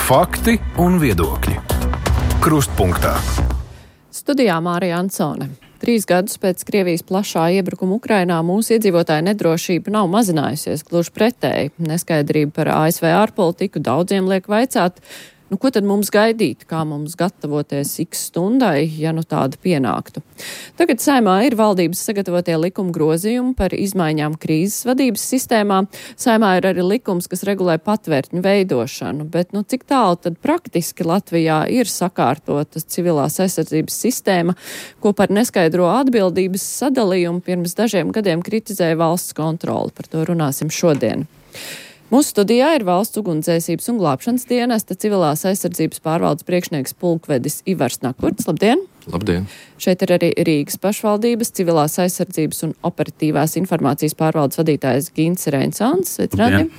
Fakti un viedokļi. Krustpunktā. Studijā Mārija Ansone. 3 gadus pēc Krievijas plašā iebrukuma Ukrainā mūsu iedzīvotāju nedrošība nav mazinājusies, gluži pretēji. Neskaidrība par ASV ārpolitiku daudziem liek vaicāt, ko tad mums gaidīt, kā mums gatavoties X stundai, ja tāda pienāktu. Tagad Saeimā ir valdības sagatavotie likuma grozījumi par izmaiņām krīzes vadības sistēmā. Saeimā ir arī likums, kas regulē patvērtņu veidošanu, bet cik tālu tad praktiski Latvijā ir sakārtota civilās aizsardzības sistēma, ko par neskaidro atbildības sadalījumu pirms dažiem gadiem kritizēja valsts kontrole. Par to runāsim šodien. Mūsu studijā ir Valsts ugunsdzēsības un glābšanas dienesta civilās aizsardzības pārvaldes priekšnieks pulkvedis Ivars Nakurts. Labdien! Labdien! Šeit ir arī Rīgas pašvaldības civilās aizsardzības un operatīvās informācijas pārvaldes vadītājs Gints Reinsons. Sveicināti!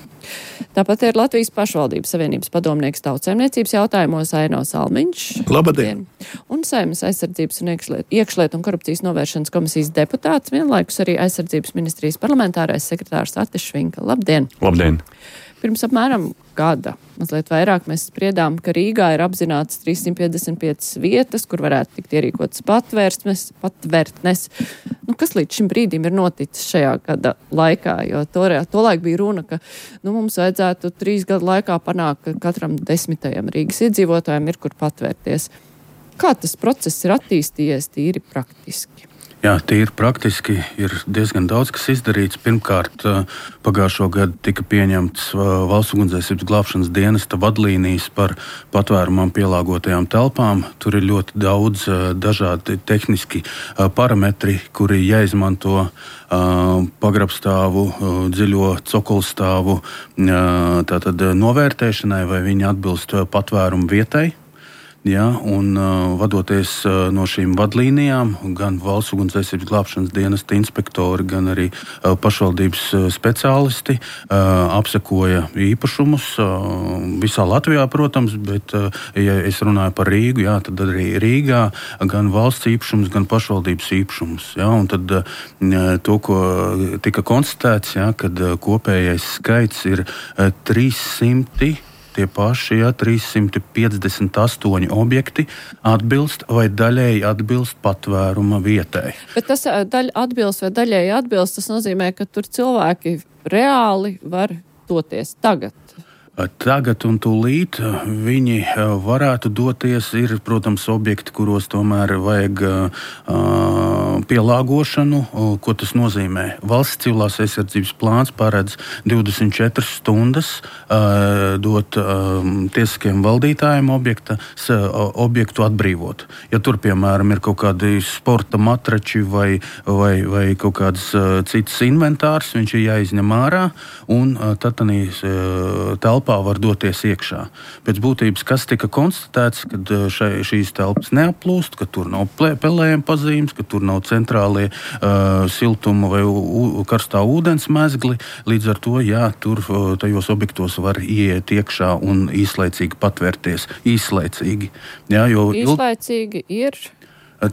Tāpat ir Latvijas pašvaldības savienības padomnieks tautsaimniecības jautājumos Aino Salmiņš. Labdien! Un Saeimas aizsardzības un iekšlietu un korupcijas novēršanas komisijas deputāts, vienlaikus arī aizsardzības ministrijas parlamentārais sekretārs Artis Švinka. Labdien! Labdien! Pirms apmēram gada, mazliet vairāk, mēs spriedām, ka Rīgā ir apzināts 355 vietas, kur varētu tikt ierīkotas patvērtnes. Kas līdz šim brīdim ir noticis šajā gada laikā? Jo tolaik bija runa, ka mums vajadzētu 3 gadu laikā panākt, ka katram 10. Rīgas iedzīvotājiem ir kur patvērties. Kā tas process ir attīstījies tīri praktiski? Jā, tīri praktiski ir diezgan daudz, kas izdarīts. Pirmkārt, pagājušo gadu tika pieņemts Valsts ugunsdzēsības glābšanas dienesta vadlīnijas par patvērumam pielāgotajām telpām. Tur ir ļoti daudz dažādi tehniski parametri, kuri jāizmanto pagrabstāvu, dziļo cokolstāvu tātad novērtēšanai, vai viņi atbilst patvērumu vietai. Ja, un vadoties no šīm vadlīnijām, gan Valsts ugunsdzēsības glābšanas dienesta inspektori, gan arī pašvaldības speciālisti apsekoja īpašumus visā Latvijā, protams, bet, ja es runāju par Rīgu, jā, tad arī Rīgā gan valsts īpašums, gan pašvaldības īpašums. Ja, un tad to, ko tika konstatēts, ja, kad kopējais skaits ir 300. Tie paši 358 objekti atbilst vai daļēji atbilst patvēruma vietai. Bet tas atbilst vai daļēji atbilst, tas nozīmē, ka tur cilvēki reāli var doties tagad. Tagad un tūlīt viņi varētu doties. Ir, protams, objekti, kuros tomēr vajag pielāgošanu. Ko tas nozīmē? Valsts civilās aizsardzības plāns paredz 24 stundas dot tiesiskiem valdītājiem objektu atbrīvot. Ja tur, piemēram, ir kaut kādi sporta matrači vai kaut kāds cits inventārs, viņš ir jāizņem ārā un tad telpā var doties iekšā. Pēc būtības, kas tika konstatēts, kad šīs telpas neaplūst, ka tur nav pelējuma pazīmes, ka tur nav centrālie siltuma vai karstā ūdens mezgli. Līdz ar to, jā, tur tajos objektos var ieiet iekšā un īslaicīgi patvērties. Īslaicīgi. Jā, īslaicīgi ir?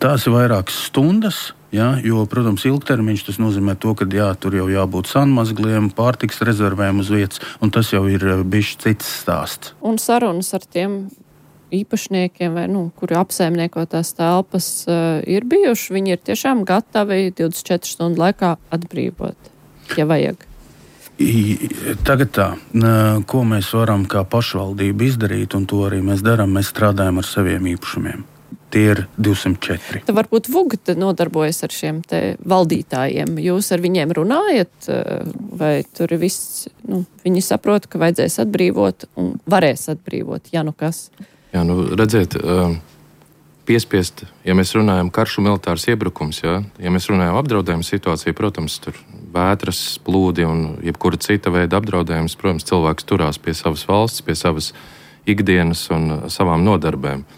Tās ir vairākas stundas. Ja, jo, protams, ilgtermiņš tas nozīmē to, ka jā, tur jau jābūt sanmazgliem, pārtiks rezervēm uz vietas, un tas jau ir bijis cits stāsts. Un sarunas ar tiem īpašniekiem, vai, kuri apsaimnieko tās telpas, ir bijuši? Viņi ir tiešām gatavi 24 stundu laikā atbrīvot, ja vajag? Tagad tā, ko mēs varam kā pašvaldība izdarīt, un to arī mēs darām, mēs strādājam ar saviem īpašumiem. Tie ir 204. Tad varbūt VUG nodarbojas ar šiem te valdītājiem. Jūs ar viņiem runājat, vai tur viss, viņi saprot, ka vajadzēs atbrīvot un varēs atbrīvot, ja kas? Jā, redziet, piespiest, ja mēs runājam karš un militārs iebrukums, ja mēs runājam apdraudējuma situāciju, protams, tur vētras, plūdi un jebkura cita veida apdraudējums, protams, cilvēks turās pie savas valsts, pie savas ikdienas un savām nodarbēm.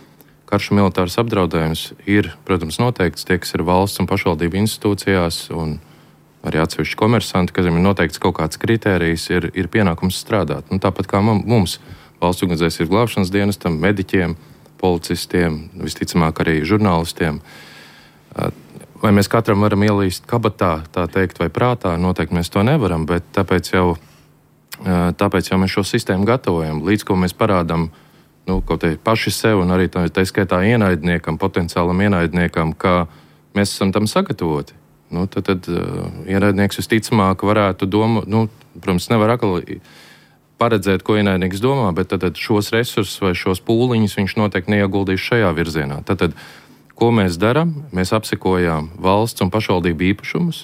Karš un militārs apdraudējums ir, protams, noteikts tie, kas ir valsts un pašvaldību institūcijās un arī atsevišķi komersanti, kas ir noteikts kaut kāds kritērijs, ir pienākums strādāt. Tāpat kā mums, Valsts ugunsdzēsības glābšanas dienestam, mediķiem, policistiem, visticamāk arī žurnālistiem. Vai mēs katram varam ielīst kabatā, tā teikt, vai prātā? Noteikti mēs to nevaram, bet tāpēc jau mēs šo sistēmu gatavojam. Līdz ko mēs parādām kaut kā paši sev un arī tā skaitā ienaidniekam, potenciālam ienaidniekam, ka mēs esam tam sagatavoti. Tad ienaidnieks visticamāk varētu protams, nevar akli paredzēt, ko ienaidnieks domā, bet tad šos resursus vai šos pūliņus viņš noteikti neieguldīs šajā virzienā. Tad, ko mēs darām? Mēs apsekojām valsts un pašvaldību īpašumus.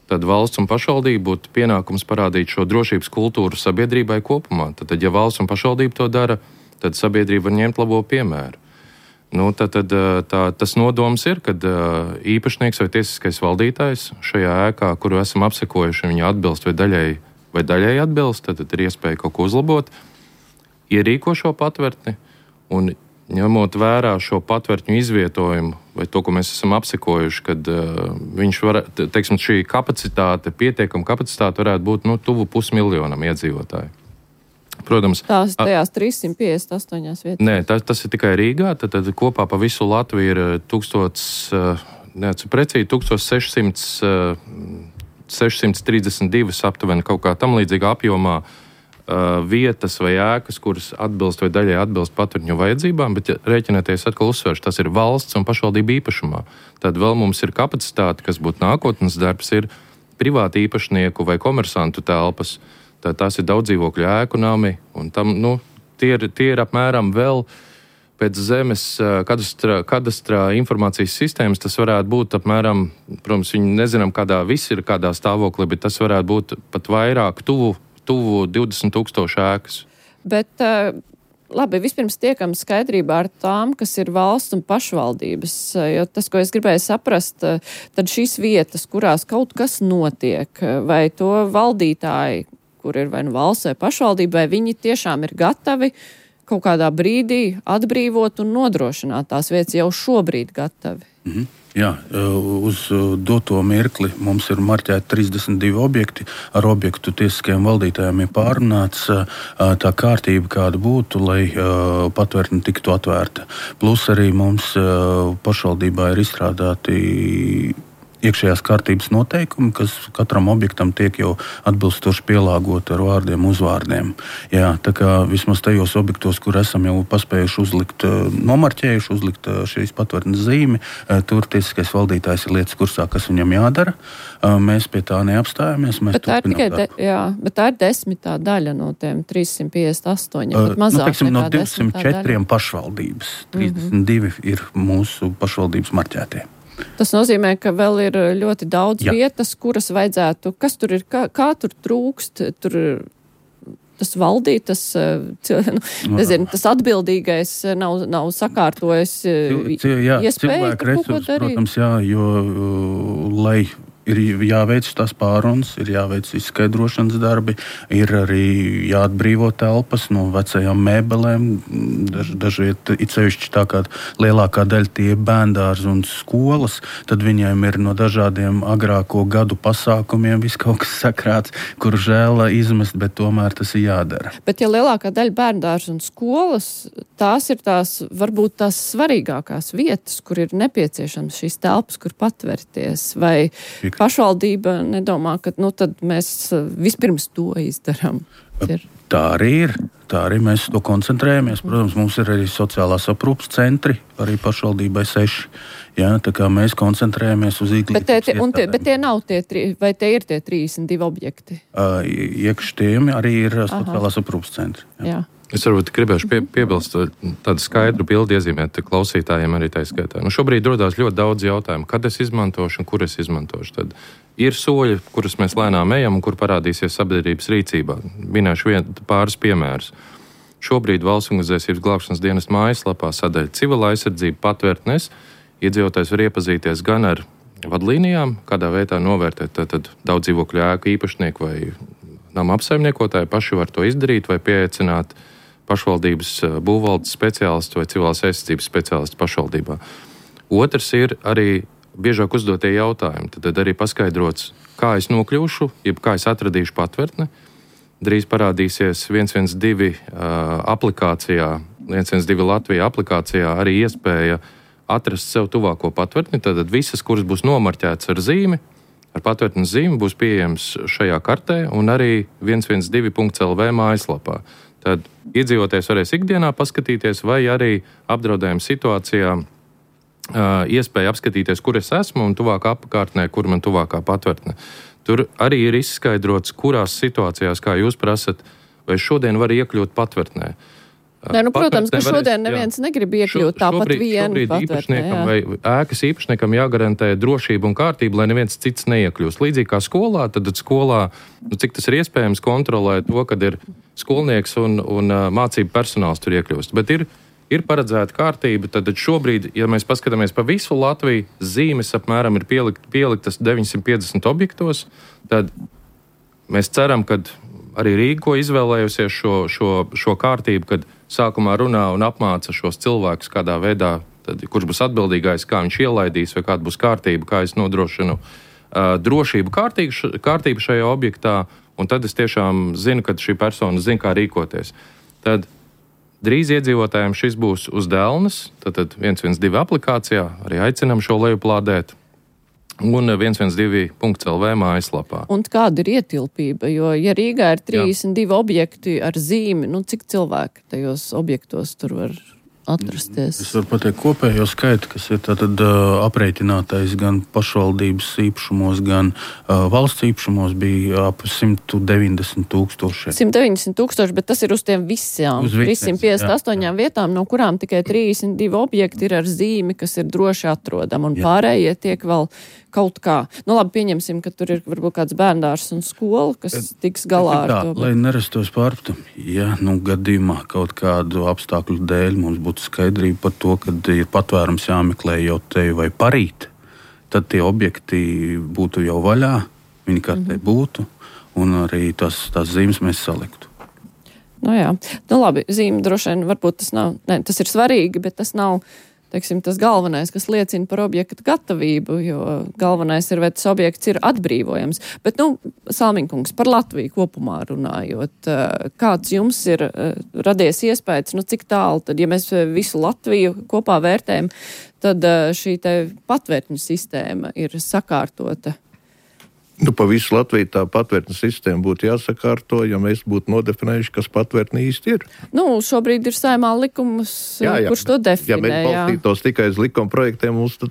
Tad valsts un pašvaldība būtu pienākums parādīt šo drošības kultūru sabiedrībai kopumā. Tad, ja valsts un pašvaldība to dara, tad sabiedrība var ņemt labo piemēru. Tas nodoms ir, kad īpašnieks vai tiesiskais valdītājs šajā ēkā, kuru esam apsekojuši, viņa atbilst vai daļēji atbilst, tad ir iespēja kaut ko uzlabot, ierīko šo patvertni un ņemot vērā šo patvertņu izvietojumu vai to, ko mēs esam apsekojuši, kad viņš var, teiksim, šī kapacitāte, pietiekama kapacitāte varētu būt tuvu 500 000 iedzīvotāju. Protams, tās tajās 358 vietās. Nē, tas ir tikai Rīgā, tad kopā pa visu Latviju ir 1632 aptuveni kaut kā tam līdzīgā apjomā vietas vai ēkas, kuras atbilst vai daļai atbilst patvertņu vajadzībām, bet rēķināties atkal uzsvērš, tas ir valsts un pašvaldība īpašumā. Tad vēl mums ir kapacitāte, kas būtu nākotnes darbs, ir privāti īpašnieku vai komersantu telpas. Tad tās ir daudzdzīvokļu ēku nami, un tam, tie ir apmēram vēl pēc zemes kadastrā informācijas sistēmas, tas varētu būt apmēram, protams, viņi nezinām, viss ir kādā stāvoklī, bet tas varētu būt pat vairāk, tuvu 20 000 ēkas. Bet, labi, vispirms tiekam skaidrībā ar tām, kas ir valsts un pašvaldības, jo tas, ko es gribēju saprast, tad šīs vietas, kurās kaut kas notiek, vai to valdītāji, kur ir vai valsts vai pašvaldība, vai viņi tiešām ir gatavi kaut kādā brīdī atbrīvot un nodrošināt tās vietas jau šobrīd gatavi. Jā, uz doto mirkli mums ir marķēti 32 objekti. Ar objektu tiesiskajiem valdītājiem ir pārunāts tā kārtība, kāda būtu, lai patvērtne tiktu atvērta. Plus arī mums pašvaldībā ir izstrādāti iekšējās kārtības noteikumi, kas katram objektam tiek jau atbilstoši pielāgoti ar vārdiem, uzvārdiem. Jā, tā kā vismaz tajos objektos, kur esam jau paspējuši uzlikt šīs patvērtnes zīmi, tur tiesiskais valdītājs ir lietas kursā, kas viņam jādara. Mēs pie tā neapstājamies. Bet tā ir 10. daļa no tiem 358, pat mazāk teiksim, no nekā 204 pašvaldības. 32 ir mūsu pašvaldības marķētie. Tas nozīmē, ka vēl ir ļoti daudz vietas, kuras vajadzētu, kas tur ir, kā tur trūkst, tur tas valdīt, tas atbildīgais nav sakārtojis iespēju kaut ko darīt. Protams, jo, lai ir jāveic tās pārunas, ir jāveic izskaidrošanas darbi, ir arī jāatbrīvo telpas no vecajām mēbelēm. Dažviet, it sevišķi tā kā lielākā daļa tie bērndārzi un skolas, tad viņiem ir no dažādiem agrāko gadu pasākumiem viss kaut kas sakrāts, kur žēl izmest, bet tomēr tas ir jādara. Bet ja lielākā daļa bērndārzi un skolas, tās ir varbūt tās svarīgākās vietas, kur ir nepieciešams šīs telpas, kur patvērties, vai pašvaldība nedomā, ka tad mēs vispirms to izdarām. Tā arī ir. Tā arī mēs to koncentrējamies. Protams, mums ir arī sociālās aprūpes centri, arī pašvaldībai 6. Jā, tā kā mēs koncentrējamies uz izglītības iestādēm. Bet tie nav vai tie ir tie 32 objekti? Iekš tiem arī ir sociālās aprūpes centri. Jā. Es varbūt gribēšu piebilst tādu skaidru bildi iezīmēt klausītājiem arī tā skaitā. Šobrīd rodās ļoti daudz jautājumu, kad es izmantošu un kur es izmantošu. Tad ir soļi, kurus mēs lēnām ejam un kur parādīsies sabiedrības rīcībā. Minēšu pāris piemērus. Šobrīd Valsts ugunsdzēsības glābšanas dienesta mājaslapā sadaļa civila aizsardzība patvērtnes. Iedzīvotājs var iepazīties gan ar vadlīnijām, kādā veidā novērtēt tātad daudz dzīvokļu ēku īpašnieku vai nama apsaimniekotāji paši var to izdarīt vai pieaicināt pašvaldības būvvaldes speciālistu vai civilās aizsardzības speciālistu pašvaldībā. Otrs ir arī biežāk uzdotie jautājumi. Tad arī paskaidrots, kā es nokļūšu, jeb kā es atradīšu patvērtni. Drīz parādīsies 112 aplikācijā, 112 Latvijā aplikācijā arī iespēja atrast sev tuvāko patvērtni. Tad visas, kuras būs nomarķētas ar zīmi, ar patvērtnes zīmi, būs pieejams šajā kartē un arī 112.lv mājaslapā. tad iedzīvotājs varēs ikdienā paskatīties, vai arī apdraudējuma situācijā iespēja apskatīties, kur es esmu un tuvākā apkārtnē, kur man tuvākā patvērtne. Tur arī ir izskaidrots, kurās situācijās, kā jūs prasat, vai šodien var iekļūt patvērtnē. Nē, protams, ka šodien neviens negrib iekļūt tāpat vienu patvērtnē. Vai ēkas īpašniekam jāgarantē drošība un kārtība, lai neviens cits neiekļūst. Līdzīgi kā skolā, tad skolā, cik tas ir iespējams, kontrolē to, kad ir skolnieks un mācību personāls tur iekļūst. Bet ir paredzēta kārtība, tad šobrīd, ja mēs paskatāmies pa visu Latviju, zīmes apmēram ir pieliktas 950 objektos, tad mēs ceram, ka arī Rīga, ko izvēlējusies šo kārtību, kad sākumā runā un apmāca šos cilvēkus kādā veidā, tad, kurš būs atbildīgais, kā viņš ielaidīs, vai kāda būs kārtība, kā es nodrošinu drošību kārtību šajā objektā, un tad es tiešām zinu, ka šī persona zina, kā rīkoties. Tad drīz iedzīvotājiem šis būs uz dēlnes, tad 112 aplikācijā, arī aicinam šo lejuplādēt, un 112.lv mājaslapā. Un kāda ir ietilpība? Jo, ja Rīgā ir 32 objekti ar zīmi, cik cilvēki tajos objektos tur var atrasties? Es varu pateikt kopējo skaitu, kas ir tātad aprēķinātais gan pašvaldības īpašumos, gan valsts īpašumos, bija ap 190 000. 190 000, bet tas ir uz tiem visām 358 vietām, no kurām tikai 32 objekti ir ar zīmi, kas ir droši atrodami, un pārējie tiek vēl kaut kā. Labi, pieņemsim, ka tur ir varbūt kāds bērndārs un skola, kas tiks galā ar to. Lai nerastos pārpratumi, ja gadījumā kaut kādu apstākļu dēļ mums būtu skaidrība par to, kad ir patvērums jāmeklē jau te vai parīt, tad tie objekti būtu jau vaļā, viņi kartē būtu, un arī tās zīmes mēs saliktu. Jā. Labi, zīme droši vien varbūt tas nav, tas ir svarīgi, bet tas nav, teiksim, tas galvenais, kas liecina par objektu gatavību, jo galvenais ir, vai tas objekts ir atbrīvojams. Bet, Salmiņkungs, par Latviju kopumā runājot, kāds jums ir radies iespējas, cik tālu, tad, ja mēs visu Latviju kopā vērtējam, tad šī te patvērtņu sistēma ir sakārtota? Pa visu Latviju tā patvērtņu sistēma būtu jāsakārto, ja mēs būtu nodefinējuši, kas patvērtne īsti ir. Šobrīd ir Saeimā likums, kurš to definē. Ja mēs balstītos tikai uz likuma projektiem, mums tad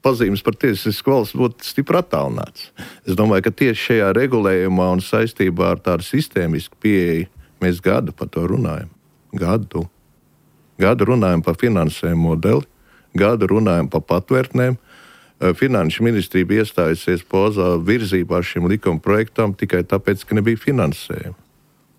pazīmes par tiesisku valsts būtu stipri attālināts. Es domāju, ka tieši šajā regulējumā un saistībā ar tādu sistēmisku pieeju mēs gadu par to runājam. Gadu runājam par finansējumu modeli, gadu runājam par patvērtnēm. Finanšu ministrija bija iestājusies pozā virzībā šim likuma projektam tikai tāpēc, ka nebija finansējuma.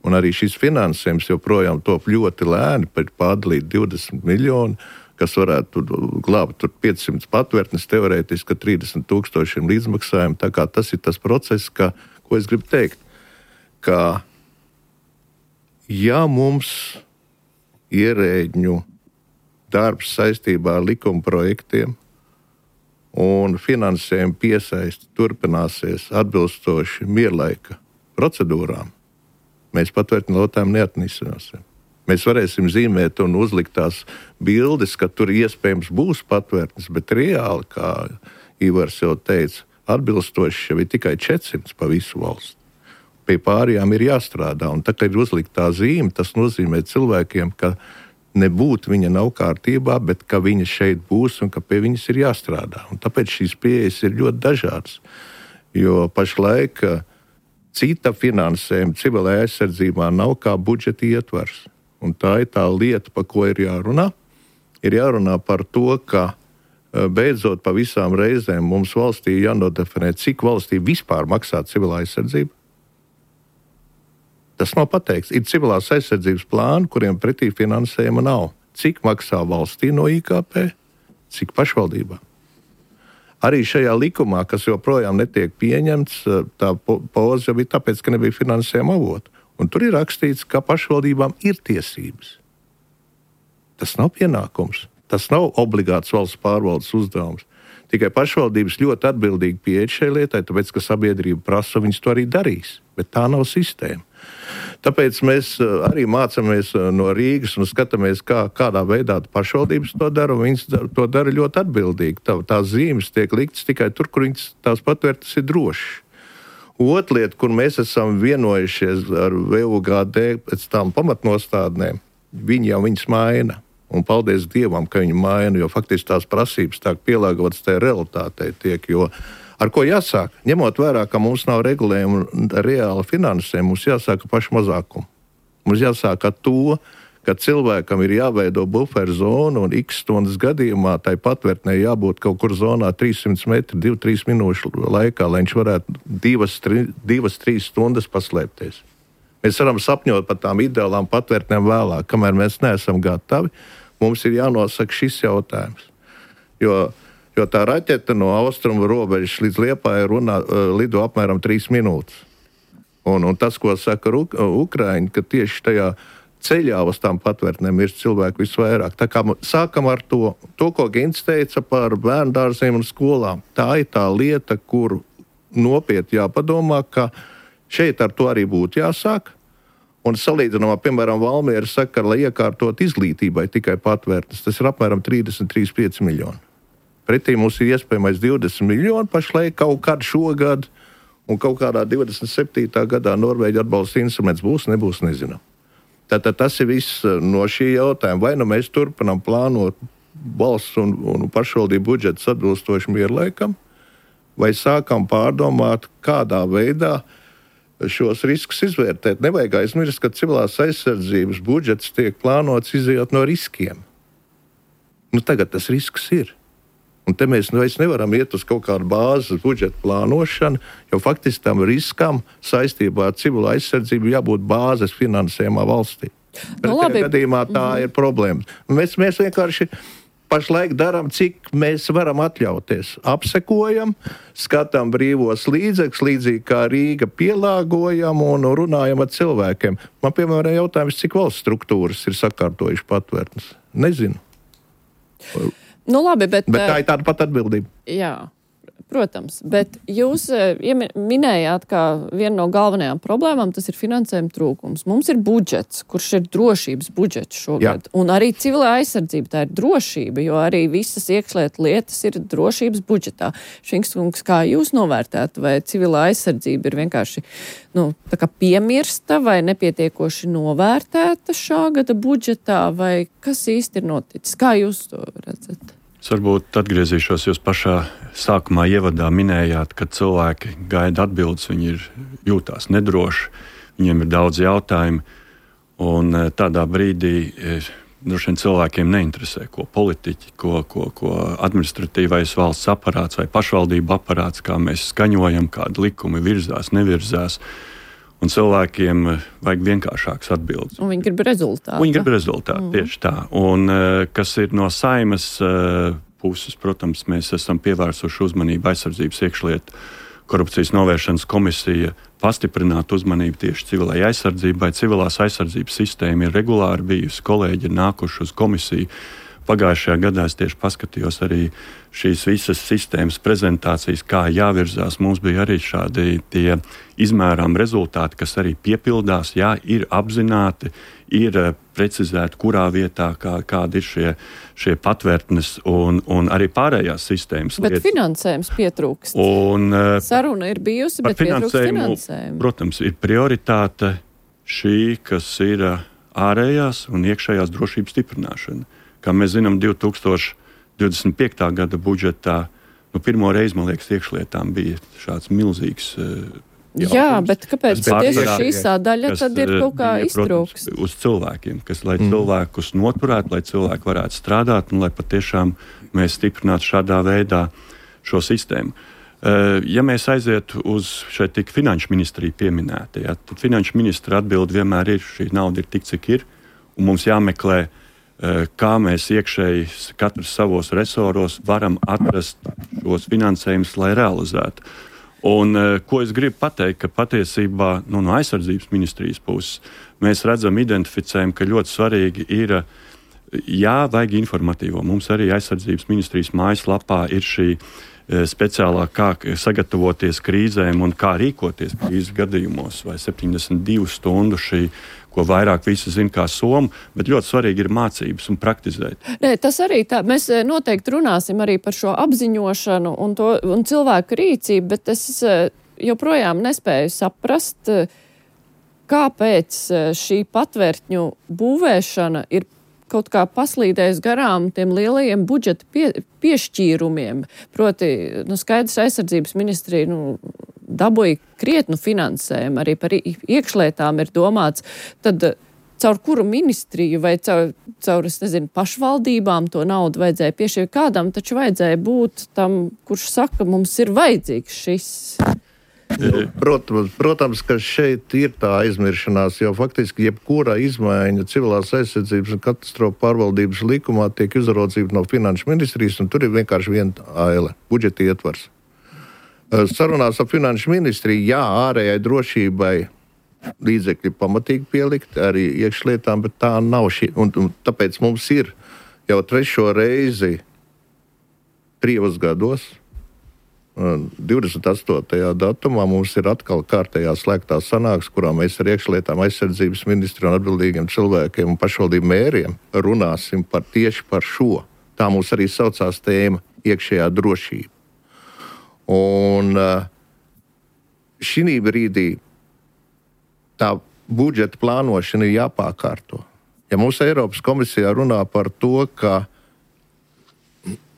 Un arī šis finansējums joprojām top ļoti lēni, pārdalīt 20 miljoni, kas varētu glābt 500 patvērtnes, teorētiski 30 000 līdzmaksājumu. Tā kā tas ir tas process, ko es gribu teikt, ka ja mums ierēģņu darbs saistībā ar likuma projektiem un finansējuma piesaisti turpināsies atbilstoši mierlaika procedūrām, mēs patvērtņu jautājumu neatrisināsim. Mēs varēsim zīmēt un uzlikt tās bildes, ka tur iespējams būs patvērtnes, bet reāli, kā Ivars jau teica, atbilstoši jau ir tikai 400 pa visu valsti. Pie pārējām ir jāstrādā, un tā, kad ir uzlikt tā zīme, tas nozīmē cilvēkiem, ka nebūtu viņa nav kārtībā, bet ka viņa šeit būs un ka pie viņas ir jāstrādā. Un tāpēc šīs pieejas ir ļoti dažādas. Jo pašlaik cita finansējuma civilajā aizsardzībā nav kā budžeta ietvars. Un tā ir tā lieta, par ko ir jārunā. Ir jārunā par to, ka beidzot pa visām reizēm mums valstī jānodefinē, cik valstī vispār maksā civilā aizsardzība. Tas nav pateikts. Ir civilās aizsardzības plāni, kuriem pretī finansējuma nav. Cik maksā valstī no IKP, cik pašvaldībā. Arī šajā likumā, kas joprojām netiek pieņemts, tā poza jau bija tāpēc, ka nebija finansējuma avotu. Un tur ir rakstīts, ka pašvaldībām ir tiesības. Tas nav pienākums. Tas nav obligāts valsts pārvaldes uzdevums. Tikai pašvaldības ļoti atbildīgi pieeja šai lietai, tāpēc, ka sabiedrība prasa, viņas to arī darīs. Bet tā nav sistēma. Tāpēc mēs arī mācāmies no Rīgas un skatāmies, kādā veidā pašvaldības to dara, un viņas to dara ļoti atbildīgi. Tās zīmes tiek liktas tikai tur, kur viņas tās patvērtas ir drošas. Otra lieta, kur mēs esam vienojušies ar VUGD pēc tām pamatnostādnēm, viņi jau viņas maina. Un paldies Dievam, ka viņi maina, jo faktiski tās prasības tā pielāgotas tajā realitātei tiek, jo ar ko jāsāk? Ņemot vērā, ka mums nav regulējuma reāla finansējuma, mums jāsāk ar pašu mazākumu. Mums jāsāk ar to, ka cilvēkam ir jāveido buferu zonu un x stundas gadījumā tai patvērtnē jābūt kaut kur zonā 300 metri, 2-3 minūšu laikā, lai viņš varētu 2-3 stundas paslēpties. Mēs varam sapņot par tām ideālām patvērtnēm vēlāk, kamēr mēs neesam gatavi. Mums ir jānosaka šis jautājums. Jo tā raķete no austrumu robežas līdz Liepājai lido apmēram 3 minūtes. Un tas, ko saka Ukraiņi, ka tieši tajā ceļā uz tām patvērtnēm ir cilvēku visvairāk. Tā kā sākam ar to, ko Gints teica par bērndārziem un skolām. Tā ir tā lieta, kur nopietni jāpadomā, ka šeit ar to arī būtu jāsāk. Un salīdzinājumā, piemēram, Valmiera saka, lai iekārtot izglītībai tikai patvērtnes, tas ir apmēram 33,5 miljoni. Pretī mums ir iespējamais 20 miljoni pašlaik kaut kādu šogad, un kaut kādā 27. gadā Norvēģi atbalsta instruments būs, nebūs, nezinām. Tātad tas ir viss no šī jautājuma. Vai nu mēs turpinām plānot valsts un pašvaldību budžetus atbilstoši mierlaikam, vai sākam pārdomāt, kādā veidā šos riskus izvērtēt. Nevajag aizmirst, ka civilās aizsardzības budžets tiek plānots izējot no riskiem. Tagad tas risks ir. Un te mēs nevaram iet uz kaut kādu bāzes budžeta plānošanu, jo faktiski tam riskam saistībā ar civilo aizsardzību jābūt bāzes finansējumā valstī. Pretējā gadījumā tā ir problēma. Mēs vienkārši pašlaik darām, cik mēs varam atļauties. Apsekojam, skatām brīvos līdzekļus, līdzīgi kā Rīga pielāgojam un runājam ar cilvēkiem. Man, piemēram, jautājums, cik valsts struktūras ir sakārtojuši patvērtnes. Nezinu. Labi, bet tā ir tāda pat atbildība. Jā. Protams, bet jūs minējāt, ka viena no galvenajām problēmām tas ir finansējuma trūkums. Mums ir budžets, kurš ir drošības budžets šogad. Jā. Un arī civilā aizsardzība, tā ir drošība, jo arī visas iekšlietu lietas ir drošības budžetā. Šinkskungs, kā jūs novērtētu, vai civilā aizsardzība ir vienkārši tā kā piemirsta vai nepietiekoši novērtēta šā gada budžetā, vai kas īsti ir noticis? Kā jūs to redzat? Es varbūt atgriezīšos, jūs pašā sākumā ievadā minējāt, ka cilvēki gaida atbildes, viņi jūtās nedroši, viņiem ir daudz jautājumu, un tādā brīdī droši vien cilvēkiem neinteresē, ko politiķi, ko administratīvais valsts aparāts vai pašvaldību aparāts, kā mēs skaņojam, kādi likumi virzās, nevirzās. Un cilvēkiem vajag vienkāršākas atbildes. Un viņi grib rezultātu. Tieši tā. Un kas ir no Saeimas puses, protams, mēs esam pievērsuši uzmanību aizsardzības iekšlietu korupcijas novēršanas komisija pastiprināt uzmanību tieši civilai aizsardzībai. Civilās aizsardzības sistēma ir regulāri bijusi, kolēģi ir nākuši uz komisiju. Pagājušajā gadā es tieši paskatījos arī šīs visas sistēmas prezentācijas, kā jāvirzās. Mums bija arī šādi tie izmērām rezultāti, kas arī piepildās, jā, ir apzināti, ir precizēti, kurā vietā, kādi ir šie patvērtnes un arī pārējās sistēmas lietas. Bet finansējums pietrūkst. Saruna ir bijusi, bet pietrūkst finansējumu. Protams, ir prioritāte šī, kas ir ārējās un iekšējās drošības stiprināšana. Kā mēs zinām, 2025. gada budžetā pirmo reizi, man liekas, iekšlietām bija šāds milzīgs jautājums. Jā, bet kāpēc tieši šī sādaļa tad ir kaut kā iztrūkst? Uz cilvēkiem, lai cilvēkus noturētu, lai cilvēki varētu strādāt un lai patiešām mēs stiprinātu šādā veidā šo sistēmu. Ja mēs aizietu uz šeit tik finanšu ministriju pieminēti, tad finanšu ministra atbilde vienmēr ir, šī nauda ir tik, cik ir, un mums jāmeklē, kā mēs iekšēji katrs savos resoros varam atrast šos finansējumus, lai realizētu. Un ko es gribu pateikt, ka patiesībā no aizsardzības ministrijas puses mēs redzam, identificējam, ka ļoti svarīgi ir, vajag informatīvo. Mums arī aizsardzības ministrijas mājaslapā ir šī speciālā, kā sagatavoties krīzēm un kā rīkoties krīzes gadījumos, vai 72 stundu šī, ko vairāk visi zina kā somu, bet ļoti svarīgi ir mācības un praktizēt. Nē, tas arī tā. Mēs noteikti runāsim arī par šo apziņošanu un cilvēku rīcību, bet es joprojām nespēju saprast, kāpēc šī patvērtņu būvēšana ir kaut kā paslīdējis garām tiem lielajiem budžeta piešķīrumiem. Proti, skaidrs aizsardzības ministrija, dabūja krietnu finansējumu, arī par iekšlietām ir domāts. Tad caur kuru ministriju vai caur es nezinu, pašvaldībām to naudu vajadzēja piešķirt? Kādam taču vajadzēja būt tam, kurš saka, mums ir vajadzīgs šis. Protams, ka šeit ir tā aizmiršanās, jo faktiski jebkura izmaiņa civilās aizsardzības un katastrofu pārvaldības likumā tiek uzraudzīta no finanšu ministrijas, un tur ir vienkārši viena aile - budžeta ietvars. Sarunās ar finanšu ministriju, jā, ārējai drošībai līdzekļi pamatīgi pielikt, arī iekšlietām, bet tā nav šī. Un tāpēc mums ir jau 3. reizi 3 gados, 28. datumā mums ir atkal kārtējā slēgtā sanāksme, kurā mēs ar iekšlietām, aizsardzības ministru un atbildīgiem cilvēkiem un pašvaldību mēriem runāsim tieši par šo. Tā mums arī saucās tēma - iekšējā drošība. Un šī brīdī tā budžeta plānošana ir jāpārkārto. Ja mums Eiropas komisijā runā par to, ka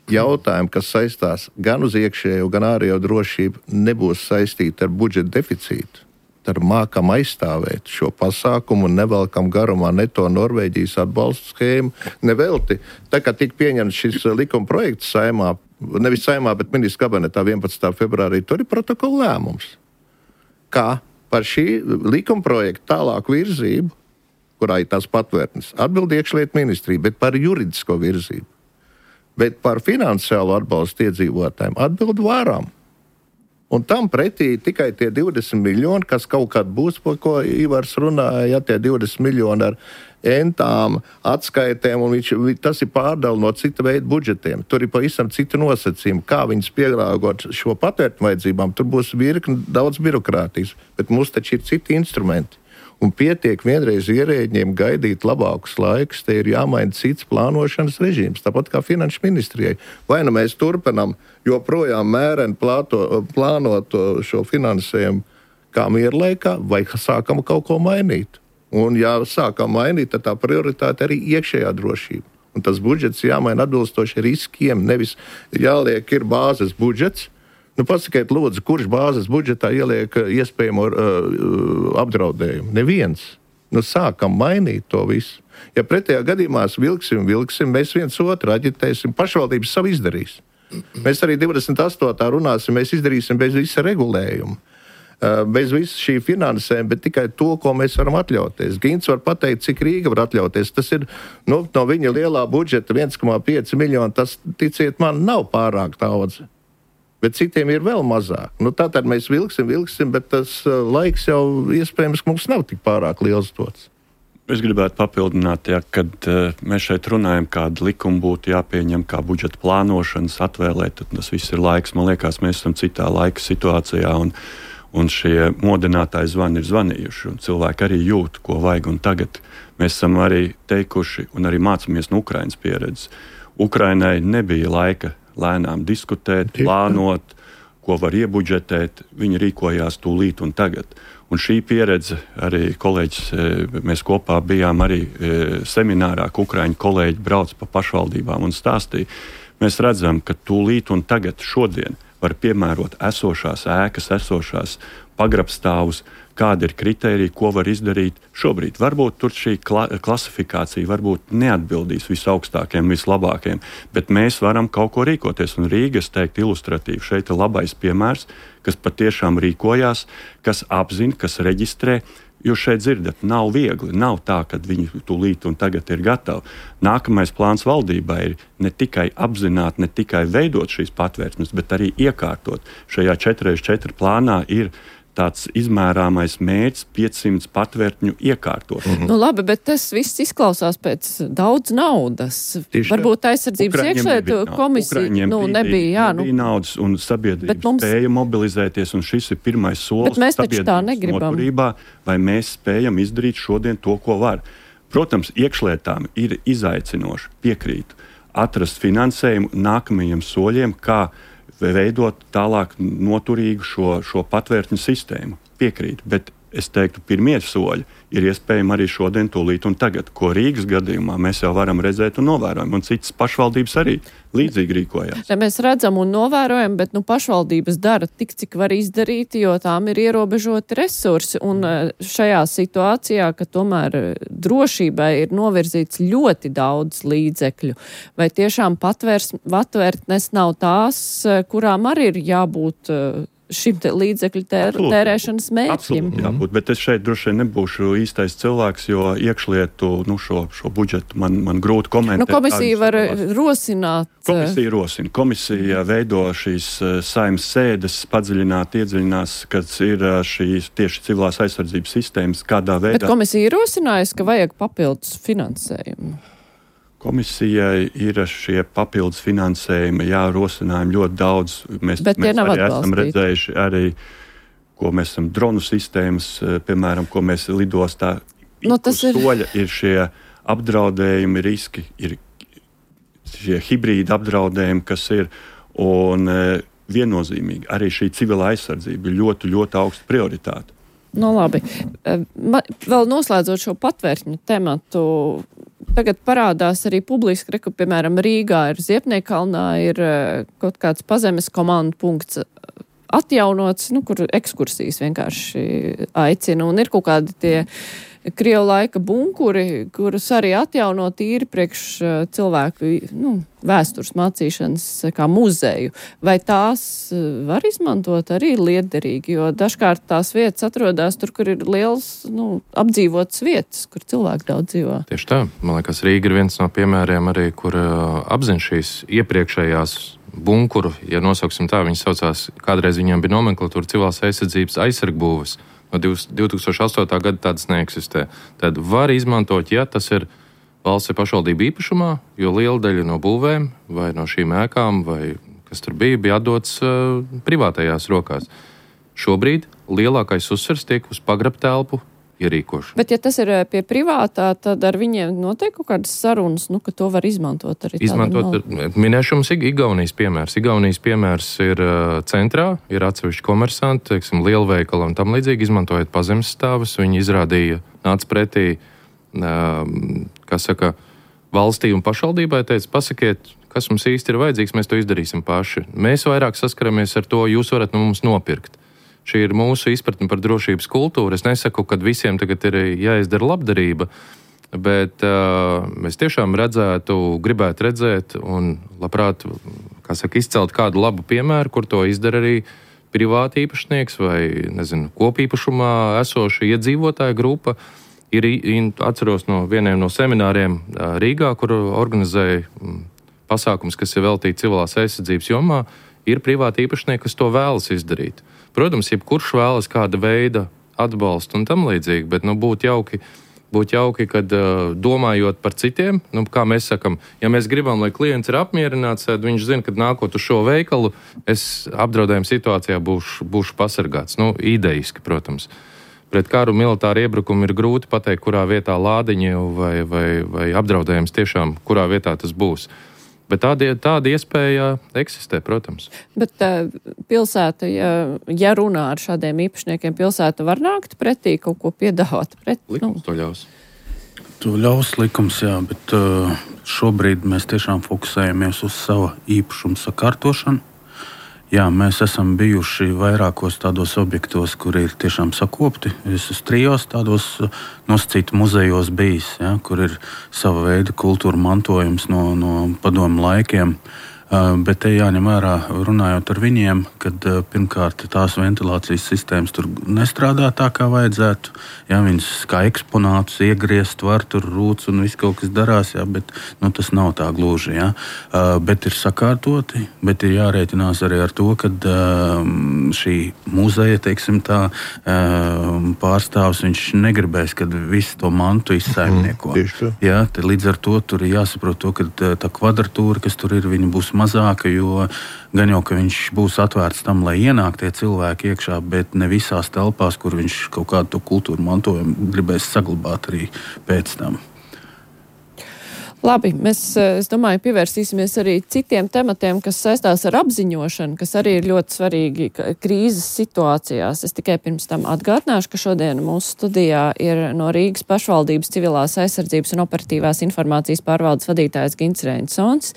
jautājumi, kas saistās gan uz iekšējo, gan ārējo drošību, nebūs saistīti ar budžeta deficītu, tad mākam aizstāvēt šo pasākumu un nevelkam garumā ne to Norvēģijas atbalstu schēmu. Nevelti, tā kā tika pieņemts šis likuma projekts Saeimā, nevis Saeimā, bet ministru kabinetā 11. februārī, tur ir protokola lēmums, kā par šī likuma projekta tālāku virzību, kurā ir tās patvērtnes, atbild iekšlietu ministrija, bet par juridisko virzību. Bet par finansiālo atbalstu iedzīvotājiem atbild varam. Un tam pretī tikai tie 20 miljoni, kas kaut kad būs, par ko Ivars runāja, ja tie 20 miljoni ar entām, atskaitēm, un tas ir pārdala no cita veida budžetiem. Tur ir pavisam citi nosacījumi, kā viņus pielāgot šo patvērtņu vajadzībām. Tur būs virkni daudz birokrātijas, bet mums taču ir citi instrumenti. Un pietiek vienreiz ierēģiem gaidīt labākus laikus, te ir jāmaina cits plānošanas režīms, tāpat kā finanšu ministrijai. Vai nu mēs turpinam joprojām mēreni plānot šo finansējumu kā mierlaikā, vai sākam kaut ko mainīt. Un ja sākam mainīt, tad tā prioritāte arī iekšējā drošība. Un tas budžets jāmaina atbilstoši riskiem, nevis jāliek ir bāzes budžets. Pasakiet, lūdzu, kurš bāzes budžetā ieliek iespējamo apdraudējumu? Neviens. Sākam mainīt to visu. Ja pretējā gadījumā vilksim, mēs viens otru aģitēsim, pašvaldības savu izdarīs. Mēs arī 28. runāsim, mēs izdarīsim bez visa regulējuma, bez visa šī finansējuma, bet tikai to, ko mēs varam atļauties. Gints var pateikt, cik Rīga var atļauties. Tas ir no viņa lielā budžeta 1,5 miljoni, tas, ticiet man, nav pārāk daudz. Bet citiem ir vēl mazāk. Tātad mēs vilksim, bet tas laiks jau iespējams mums nav tik pārāk liels dots. Es gribētu papildināt, kad mēs šeit runājam, kāda likuma būtu jāpieņem, kā budžeta plānošanas atvēlēt, tad tas viss ir laiks. Man liekas, mēs esam citā laika situācijā, un šie modinātāji zvani ir zvanījuši, un cilvēki arī jūt, ko vajag. Un tagad mēs esam arī teikuši un arī mācāmies no Ukrainas pieredzes. Ukrainai nebija laika lēnām diskutēt, plānot, ko var iebudžetēt. Viņi rīkojās tūlīt un tagad. Un šī pieredze arī kolēģis, mēs kopā bijām arī seminārā, ka ukraiņu kolēģi brauc pa pašvaldībām un stāstīja. Mēs redzam, ka tūlīt un tagad šodien var piemērot esošās ēkas, esošās pagrabstāvus, kādi ir kritēriji, ko var izdarīt šobrīd. Varbūt tur šī klasifikācija varbūt neatbildīs visaugstākiem, vislabākiem, bet mēs varam kaut ko rīkoties. Un Rīga, es teiktu, ilustratīvi šeit ir labais piemērs, kas patiešām rīkojās, kas apzina, kas reģistrē. Jūs šeit dzirdat, nav viegli, nav tā, ka viņi tūlīt un tagad ir gatavi. Nākamais plāns valdībai ir ne tikai apzināt, ne tikai veidot šīs patvērtnes, bet arī iekārtot. Šajā 4x4 plānā ir tāds izmērāmais mērķis 500 patvērtņu iekārtot. Labi, bet tas viss izklausās pēc daudz naudas. Varbūt aizsardzības iekšlietu komisija nebija. Nebija naudas un sabiedrība spēja mobilizēties, un šis ir pirmais solis. Bet mēs taču tā negribam. Vai mēs spējam izdarīt šodien to, ko var? Protams, iekšlietām ir izaicinoši, piekrītu, atrast finansējumu nākamajiem soļiem, kā veidot tālāk noturīgu šo patvērtņu sistēmu. Piekrīt, bet es teiktu, pirmie soļi ir iespējami arī šodien, tūlīt un tagad, ko Rīgas gadījumā mēs jau varam redzēt un novērojam, un citas pašvaldības arī līdzīgi rīkojās. Ja mēs redzam un novērojam, bet pašvaldības dara tik, cik var izdarīt, jo tām ir ierobežoti resursi, un šajā situācijā, ka tomēr drošībai ir novirzīts ļoti daudz līdzekļu, vai tiešām patvērtnes nav tās, kurām arī ir jābūt šim līdzekļu tērēšanas mērķim. Absolūti jābūt, bet es šeit droši vien nebūšu īstais cilvēks, jo iekšlietu šo budžetu man grūti komentēt. Komisija var rosināt. Komisija rosina. Komisija veido šīs saimnes sēdes, padziļināt, iedziļinās, kad ir šīs tieši civilās aizsardzības sistēmas, kādā veidā. Bet komisija ir rosinājusi, ka vajag papildus finansējumu. Komisijai ir šie papildus finansējumi, rosinājumi ļoti daudz. Mēs arī esam redzējuši arī, ko mēs esam dronu sistēmas, piemēram, ko mēs lidostā soļa ir šie apdraudējumi, riski, ir šie hibrīda apdraudējumi, kas ir, un viennozīmīgi arī šī civilā aizsardzība ir ļoti, ļoti augsta prioritāte. Labi. Vēl noslēdzot šo patvērtņu tematu, tagad parādās arī publiski, ka, piemēram, Rīgā ir Ziepniekalnā, ir kaut kāds pazemes komandu punkts atjaunots, kur ekskursijas vienkārši aicina, un ir kaut kādi tie Krievu laika bunkuri, kurus arī atjauno tīri priekš cilvēku vēstures mācīšanas kā muzeju. Vai tās var izmantot arī liederīgi, jo dažkārt tās vietas atrodas tur, kur ir liels apdzīvotas vietas, kur cilvēki daudz dzīvo. Tieši tā. Man liekas, Rīga ir viens no piemēriem arī, kur apzina šīs iepriekšējās bunkuru, ja nosauksim tā, viņas saucās, kādreiz viņiem bija nomenklatūra civilās aizsardzības aizsargbūves. No 2008. gada tādas neeksistē. Tad var izmantot, ja tas ir valsts pašvaldība īpašumā, jo liela daļa no būvēm vai no šīm ēkām, vai kas tur bija atdots privātajās rokās. Šobrīd lielākais uzsvers tiek uz pagrabtelpu ierīkošanu. Bet ja tas ir pie privātā, tad ar viņiem notiek kaut kādas sarunas, ka to var izmantot arī minēšu mums Igaunijas piemērs. Igaunijas piemērs ir centrā, ir atsevišķi komersanti, teiksim, lielveikali un tam līdzīgi, izmantojot pazemes stāvus. Viņi izrādīja, nāca pretī, valstī un pašvaldībai, teica, pasakiet, kas mums īsti ir vajadzīgs, mēs to izdarīsim paši. Mēs vairāk saskaramies ar to, jūs varat no mums nopirkt. Šī ir mūsu izpratne par drošības kultūru. Es nesaku, ka visiem tagad ir jāizdara labdarība, bet mēs tiešām gribētu redzēt un labprāt, izcelt kādu labu piemēru, kur to izdara arī privāti īpašnieks vai, kopīpašumā esoša iedzīvotāja grupa. Atceros no vieniem no semināriem Rīgā, kur organizēja pasākums, kas ir veltīti civilās aizsardzības jomā, ir privāti īpašnieki, kas to vēlas izdarīt. Protams, jebkurš vēlas kāda veida atbalstu un tam līdzīgi, bet būtu jauki, kad domājot par citiem, kā mēs sakam, ja mēs gribam, lai klients ir apmierināts, tad viņš zina, ka nākot uz šo veikalu, es apdraudējuma situācijā būšu pasargāts. Idejiski, protams. Pret karu militāru iebrukumu ir grūti pateikt, kurā vietā lādiņi vai apdraudējums tiešām, kurā vietā tas būs. Bet tāda iespēja eksistē, protams. Bet pilsēta, ja runā ar šādiem īpašniekiem, pilsēta var nākt pretī, kaut ko piedāvāt pret? Likums to ļaus. To ļaus likums, jā, bet šobrīd mēs tiešām fokusējamies uz savu īpašumu sakārtošanu. Jā, mēs esam bijuši vairākos tādos objektos, kur ir tiešām sakopti. Es esmu 3 tādos nosacītu muzejos bijis, ja, kur ir sava veida kultūra mantojums no padomu laikiem. Bet te jāņem vērā, runājot ar viņiem, kad pirmkārt tās ventilācijas sistēmas tur nestrādā tā, kā vajadzētu. Jā, viņas kā eksponātus iegriezt var, tur rūts un viss kaut kas darās, jā, bet tas nav tā gluži. Jā. Bet ir sakārtoti, bet ir jārēķinās arī ar to, ka šī muzeja, teiksim tā, pārstāvs, viņš negribēs, kad visu to mantu izsaimnieko. Jā, līdz ar to tur ir jāsaprot to, ka tā kvadratūra, kas tur ir, viņa būs mazāka, jo gan jau, ka viņš būs atvērts tam, lai ienāk tie cilvēki iekšā, bet ne visās telpās, kur viņš kaut kādu to kultūru mantojumu gribēs saglabāt arī pēc tam. Labi, mēs, es domāju, pievērsīsimies arī citiem tematiem, kas saistās ar apziņošanu, kas arī ir ļoti svarīgi krīzes situācijās. Es tikai pirms tam atgādināšu, ka šodien mūsu studijā ir no Rīgas pašvaldības civilās aizsardzības un operatīvās informācijas pārvaldes vadītājs Gints Reinsons,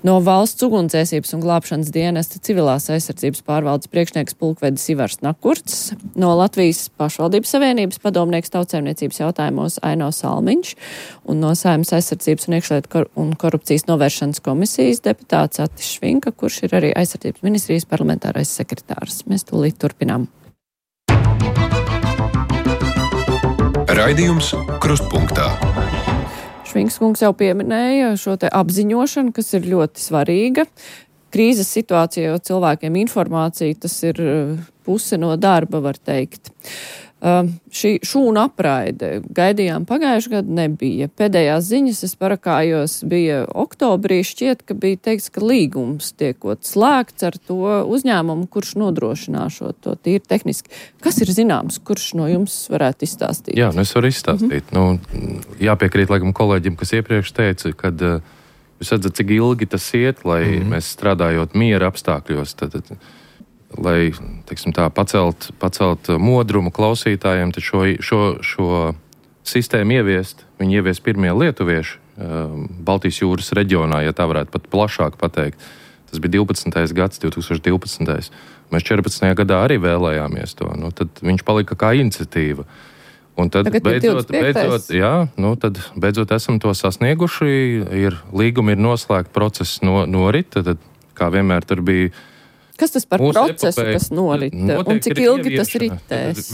no Valsts ugunsdzēsības un glābšanas dienesta civilās aizsardzības pārvaldes priekšnieks pulkvedis Ivars Nakurts, no Latvijas pašvaldības savienības padomnieks tautsēmniecības jautājumos Aino Salmiņš un no Saeimas aizsardzības un iekšlietu un korupcijas novēršanas komisijas deputāts Atis Švinka, kurš ir arī aizsardzības ministrijas parlamentārais sekretārs. Mēs tūlīt turpinām. Raidījums Krustpunktā. Švinks kungs jau pieminēja šo te apziņošanu, kas ir ļoti svarīga. Krīzes situācijā jau cilvēkiem informācija, tas ir puse no darba, var teikt. Šī šūna apraide gaidījām pagājušajā gadu nebija. Pēdējās ziņas es parakājos bija oktobrī, šķiet, ka bija teikts, ka līgums tiekot slēgts ar to uzņēmumu, kurš nodrošinā šo to tīri tehniski. Kas ir zināms, kurš no jums varētu izstāstīt? Jā, es varu izstāstīt. Jāpiekrīt laikam kolēģim, kas iepriekš teica, kad jūs redzat, cik ilgi tas iet, lai mēs strādājot miera apstākļos, tad lai, teiksim tā, pacelt modrumu klausītājiem, tad šo sistēmu ieviest. Viņi ievies pirmie lietuvieši Baltijas jūras reģionā, ja tā varētu pat plašāk pateikt. Tas bija 12. gads, 2012. Mēs 14. gadā arī vēlējāmies to. Tad viņš palika kā iniciatīva. Un tad beidzot esam to sasnieguši. Līgumi ir noslēgti, process norit. Tad, kā vienmēr, tur bija. Kas tas par procesu, kas norit? Un cik ilgi tas ritēs?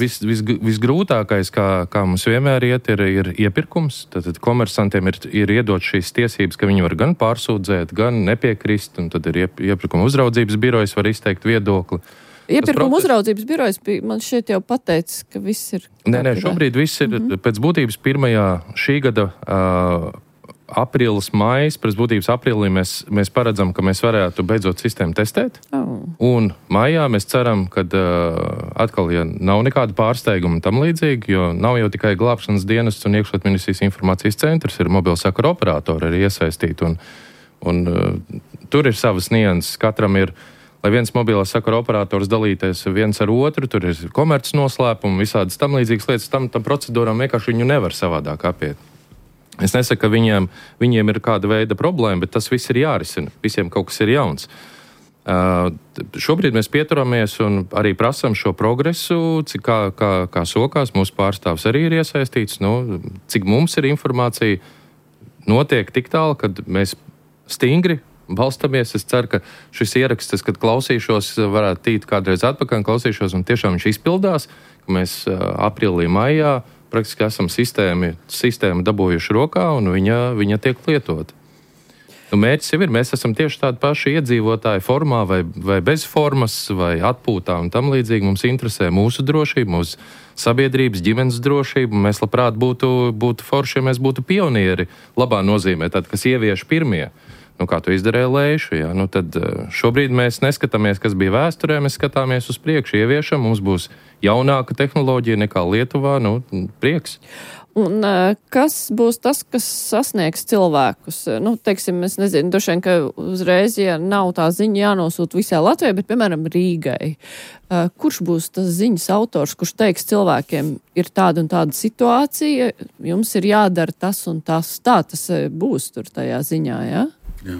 Visgrūtākais, kā mums vienmēr ir iepirkums. Tad komersantiem ir iedot šīs tiesības, ka viņi var gan pārsūdzēt, gan nepiekrist. Un tad ir iepirkuma uzraudzības birojas var izteikt viedokli. Iepirkuma uzraudzības birojas man šeit jau pateicis, ka viss ir. Nē, šobrīd viss ir pēc būtības pirmajā šī gada aprīlis, maijs, pēc būtības aprīlī mēs paredzam, ka mēs varētu beidzot sistēmu testēt. Un maijā mēs ceram, ka atkal, ja nav nekāda pārsteiguma tam līdzīgi, jo nav jau tikai glābšanas dienests un iekšlietu ministrijas informācijas centrs, ir mobilo sakaru operatori arī iesaistīti. Un tur ir savas nianses. Katram ir, lai viens mobilo sakaru operators dalīties viens ar otru, tur ir komerces noslēpumi, visādas tam līdzīgas lietas, tam procedūram vienkārši viņu nevar savādāk apiet. Es nesaku, ka viņiem ir kāda veida problēma, bet tas viss ir jārisina. Visiem kaut kas ir jauns. Šobrīd mēs pieturamies un arī prasam šo progresu, cik kā sokās. Mūsu pārstāvs arī ir iesaistīts. Cik mums ir informācija, notiek tik tālu, kad mēs stingri balstamies. Es ceru, ka šis ieraksts, kad klausīšos, varētu tīt kādreiz atpakaļ, klausīšos, un tiešām viņš izpildās, ka mēs aprīlī, maijā praktiski esam sistēmu dabūjuši rokā, un viņa tiek lietota. Mērķis jau ir, mēs esam tieši tādi paši iedzīvotāji formā vai bez formas, vai atpūtā un tam līdzīgi. Mums interesē mūsu drošība, mūsu sabiedrības, ģimenes drošība, un mēs labprāt būtu forši, ja mēs būtu pionieri labā nozīmē, tad, kas ievieš pirmie. Kā to izdarīja Leišu, tad šobrīd mēs neskatāmies, kas bija vēsturē, mēs skatāmies uz priekšu, ieviešam, mums būs jaunāka tehnoloģija nekā Lietuvā, prieks. Un kas būs tas, kas sasniegs cilvēkus? Teiksim, es nezinu, droši vien, ka uzreiz, ja nav tā ziņa jānosūta visai Latvijai, bet, piemēram, Rīgai. Kurš būs tas ziņas autors, kurš teiks cilvēkiem, ir tāda un tāda situācija, jums ir jādara tas un tas, tā tas būs tur tajā ziņā, jā? Jā.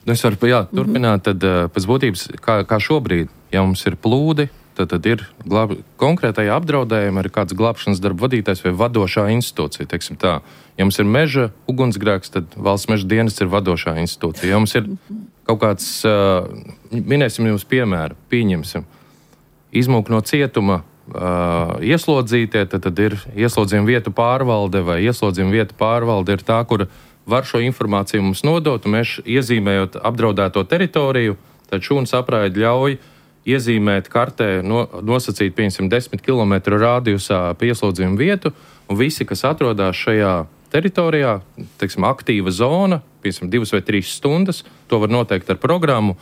Es varu turpināt, tad pēc būtības, kā šobrīd, ja mums ir plūdi, tad ir konkrētajā apdraudējumā ir kāds glābšanas darba vadītājs vai vadošā institūcija, teiksim tā. Ja mums ir meža ugunsgrēks, tad valsts meža dienests ir vadošā institūcija. Ja mums ir kaut kāds, minēsim jums piemēru, pieņemsim, izmūk no cietuma ieslodzītie, tad ir ieslodzījuma vietu pārvalde vai ieslodzījuma vietu pārvalde ir tā, kur var šo informāciju mums nodot, un mēs iezīmējot apdraudēto teritoriju, tad šūnas apraide ļauj iezīmēt kartē, nosacīt, piemēram, 10 km rādijusā pieslodzījuma vietu, un visi, kas atrodas šajā teritorijā, teiksim, aktīva zona, piemēram, 2 vai 3 stundas, to var noteikt ar programmu,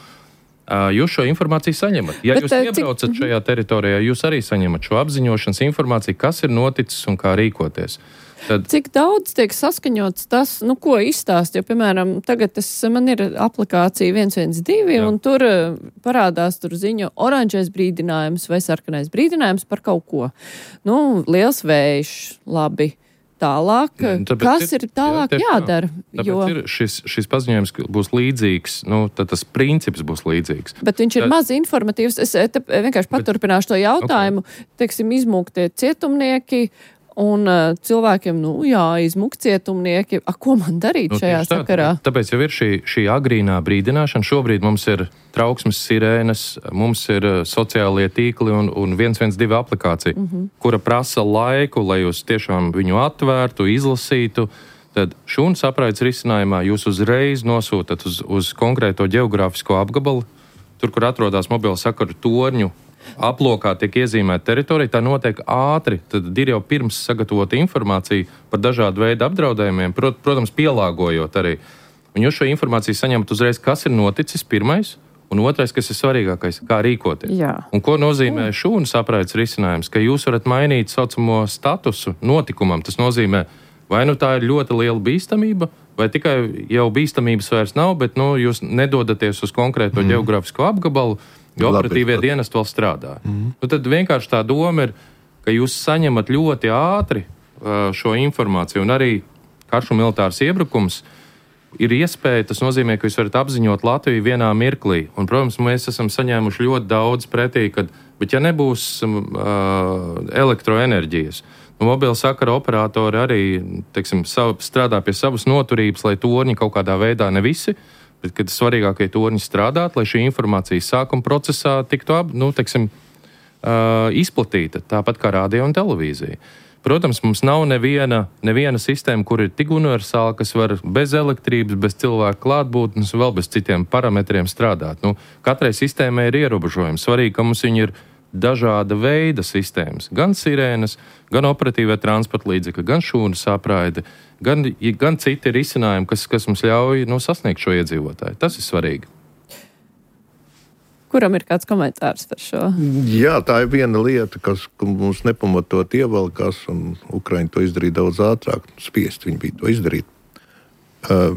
jūs šo informāciju saņemat. Ja jūs iebraucat šajā teritorijā, jūs arī saņemat šo apziņošanas informāciju, kas ir noticis un kā rīkoties. Cik daudz tiek saskaņots tas, ko izstāst, jo, piemēram, tagad man ir aplikācija 112, un tur parādās ziņu oranžais brīdinājums vai sarkanais brīdinājums par kaut ko. Liels vējš, labi. Tālāk, kas ir tālāk jādara? Tāpēc šis paziņojums būs līdzīgs, tad tas princips būs līdzīgs. Bet viņš ir maz informatīvs. Es vienkārši paturpināšu to jautājumu. Teiksim, izmūgtie cietumnieki un cilvēkiem, izmūg cietumnieki. Ko man darīt šajā sakarā? Tāpēc jau ir šī agrīnā brīdināšana. Šobrīd mums ir trauksmes sirēnas, mums ir sociālie tīkli un 112 aplikācija, kura prasa laiku, lai jūs tiešām viņu atvērtu, izlasītu. Tad šūnas apraides risinājumā jūs uzreiz nosūtat uz konkrēto geogrāfisko apgabalu, tur, kur atrodas mobilo sakaru torņu aplokā tiek iezīmēta teritorija, tā notiek ātri. Tad ir jau pirms sagatavota informācija par dažādu veidu apdraudējumiem, protams, pielāgojot arī. Un jūs šo informāciju saņemat uzreiz, kas ir noticis pirmais, un otrais, kas ir svarīgākais, kā rīkoties. Jā. Un ko nozīmē šūnas apraides risinājums? Ka jūs varat mainīt saucamo statusu notikumam. Tas nozīmē, vai tā ir ļoti liela bīstamība, vai tikai jau bīstamības vairs nav, bet jūs nedodaties uz konkrēto geogrāfisko apgabalu, jo operatīvie dienesti vēl strādā. Tad vienkārši tā doma ir, ka jūs saņemat ļoti ātri šo informāciju, un arī karš un militārs iebrukums ir iespēja, tas nozīmē, ka jūs varat apziņot Latviju vienā mirklī. Un, protams, mēs esam saņēmuši ļoti daudz pretī, bet ja nebūs elektroenerģijas, mobila sakara operatori arī, strādā pie savas noturības, lai torņi kaut kādā veidā ne visi, bet kad svarīgākie torņi strādāt, lai šī informācija sākuma procesā tiktu izplatīta, tāpat kā radio un televīzija. Protams, mums nav neviena sistēma, kur ir tik universāla, kas var bez elektrības, bez cilvēku klātbūtnes, vēl bez citiem parametriem strādāt. Katrai sistēmai ir ierobežojumi. Svarīgi, ka mums viņi ir dažāda veida sistēmas. Gan sirēnas, gan operatīvie transporta līdzekļi, gan šūnas apraide, gan citi risinājumi, kas mums ļauj sasniegt šo iedzīvotāju. Tas ir svarīgi. Kuram ir kāds komentārs par šo? Jā, tā ir viena lieta, kas mums nepamatot ievelkās, un Ukraiņi to izdarīja daudz ātrāk. Spiest viņi bija to izdarīt.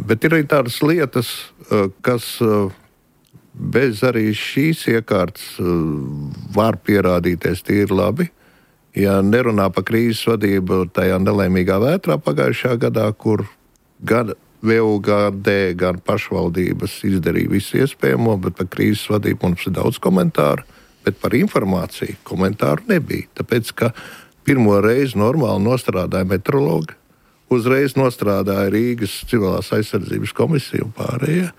Bet ir arī tādas lietas, kas bez arī šīs iekārtas var pierādīties tīri labi. Ja nerunā par krīzes vadību tajā nelaimīgā vētrā pagājušajā gadā, kur gan VUGD, gan pašvaldības izdarīja visu iespējamo, bet par krīzes vadību mums ir daudz komentāru, bet par informāciju komentāru nebija. Tāpēc, ka pirmo reizi normāli nostrādāja meteorologi, uzreiz nostrādāja Rīgas civilās aizsardzības komisija un pārējie.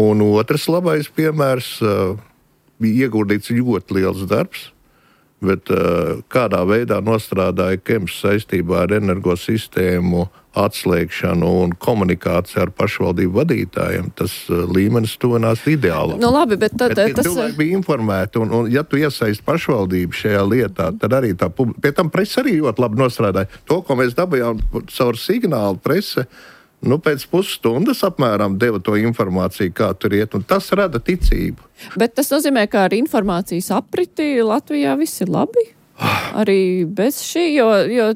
Un otrs labais piemērs bija ieguldīts ļoti liels darbs, bet kādā veidā nostrādāja KEMS saistībā ar energosistēmu atslēgšanu un komunikāciju ar pašvaldību vadītājiem, tas līmenis tuvinās ideālam. Labi, bet cilvēki bija informēti, un ja tu iesaisti pašvaldību šajā lietā, tad arī tā publika. Pie tam presa arī ļoti labi nostrādāja. To, ko mēs dabījām caur signālu prese, pēc pusstundas apmēram deva to informāciju, kā tur iet, un tas rada ticību. Bet tas nozīmē, ka ar informācijas apriti Latvijā viss ir labi? Arī bez šī, jo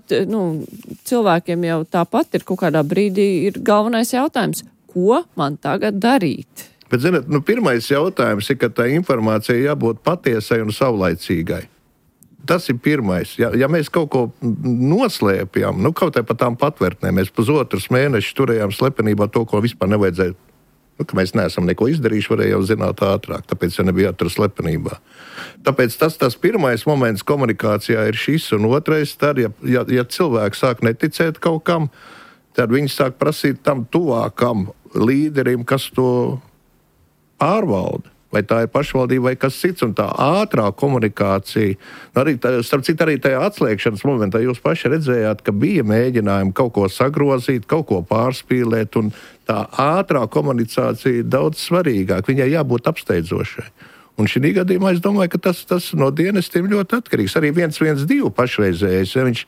cilvēkiem jau tāpat ir kaut kādā brīdī ir galvenais jautājums, ko man tagad darīt? Bet, zināt, pirmais jautājums ir, ka tā informācija jābūt patiesai un saulaicīgai. Tas ir pirmais. Ja mēs kaut ko noslēpjam, kaut vai par tām patvērtnēm, mēs pusotras mēnešus turējām slepenībā to, ko vispār nevajadzēja, ka mēs neesam neko izdarījuši, varēja jau zināt ātrāk, tāpēc jau nebija jātur slepenībā. Tāpēc tas pirmais moments komunikācijā ir šis, un otrais, tad, ja cilvēki sāk neticēt kaut kam, tad viņi sāk prasīt tam tuvākam līderim, kas to pārvalda. Vai tā ir pašvaldība vai kas cits, un tā ātrā komunikācija. Starp citu, arī tajā atslēgšanas momentā jūs paši redzējāt, ka bija mēģinājumi kaut ko sagrozīt, kaut ko pārspīlēt, un tā ātrā komunikācija ir daudz svarīgāka. Viņai jābūt apsteidzošai. Un šī gadījumā es domāju, ka tas no dienestiem ļoti atkarīgs. Arī 112 pašreizējais, ja viņš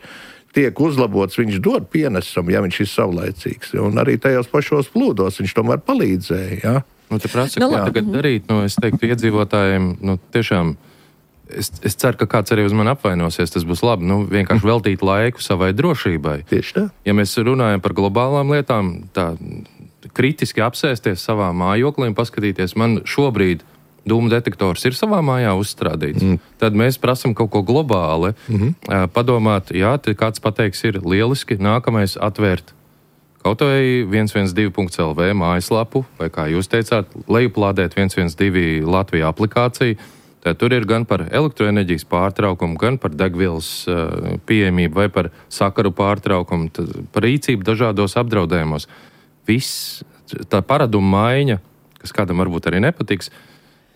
tiek uzlabots, viņš dod pienesumu, ja viņš ir savlaicīgs. Un arī tajos pašos plūdos viņš tomēr palīdzēja, ja? Te prasa, ko tagad darīt, es teiktu iedzīvotājiem, tiešām Es ceru, ka kāds arī uz mani apvainosies, tas būs labi. Vienkārši veltīt laiku savai drošībai. Tieši tā. Ja mēs runājam par globālām lietām, tā kritiski apsēsties savā mājoklī un paskatīties, man šobrīd dūmu detektors ir savā mājā uzstrādīts. Tad mēs prasam kaut ko globāli, padomāt, jā, kāds pateiks, ir lieliski, nākamais atvērt kaut vai 112.lv mājaslapu, vai kā jūs teicāt, lejuplādēt 112 Latvijā aplikāciju. Tad tur ir gan par elektroenerģijas pārtraukumu, gan par degvielas pieejamību vai par sakaru pārtraukumu, par rīcību dažādos apdraudējumos. Viss tā paraduma maiņa, kas kādam varbūt arī nepatiks,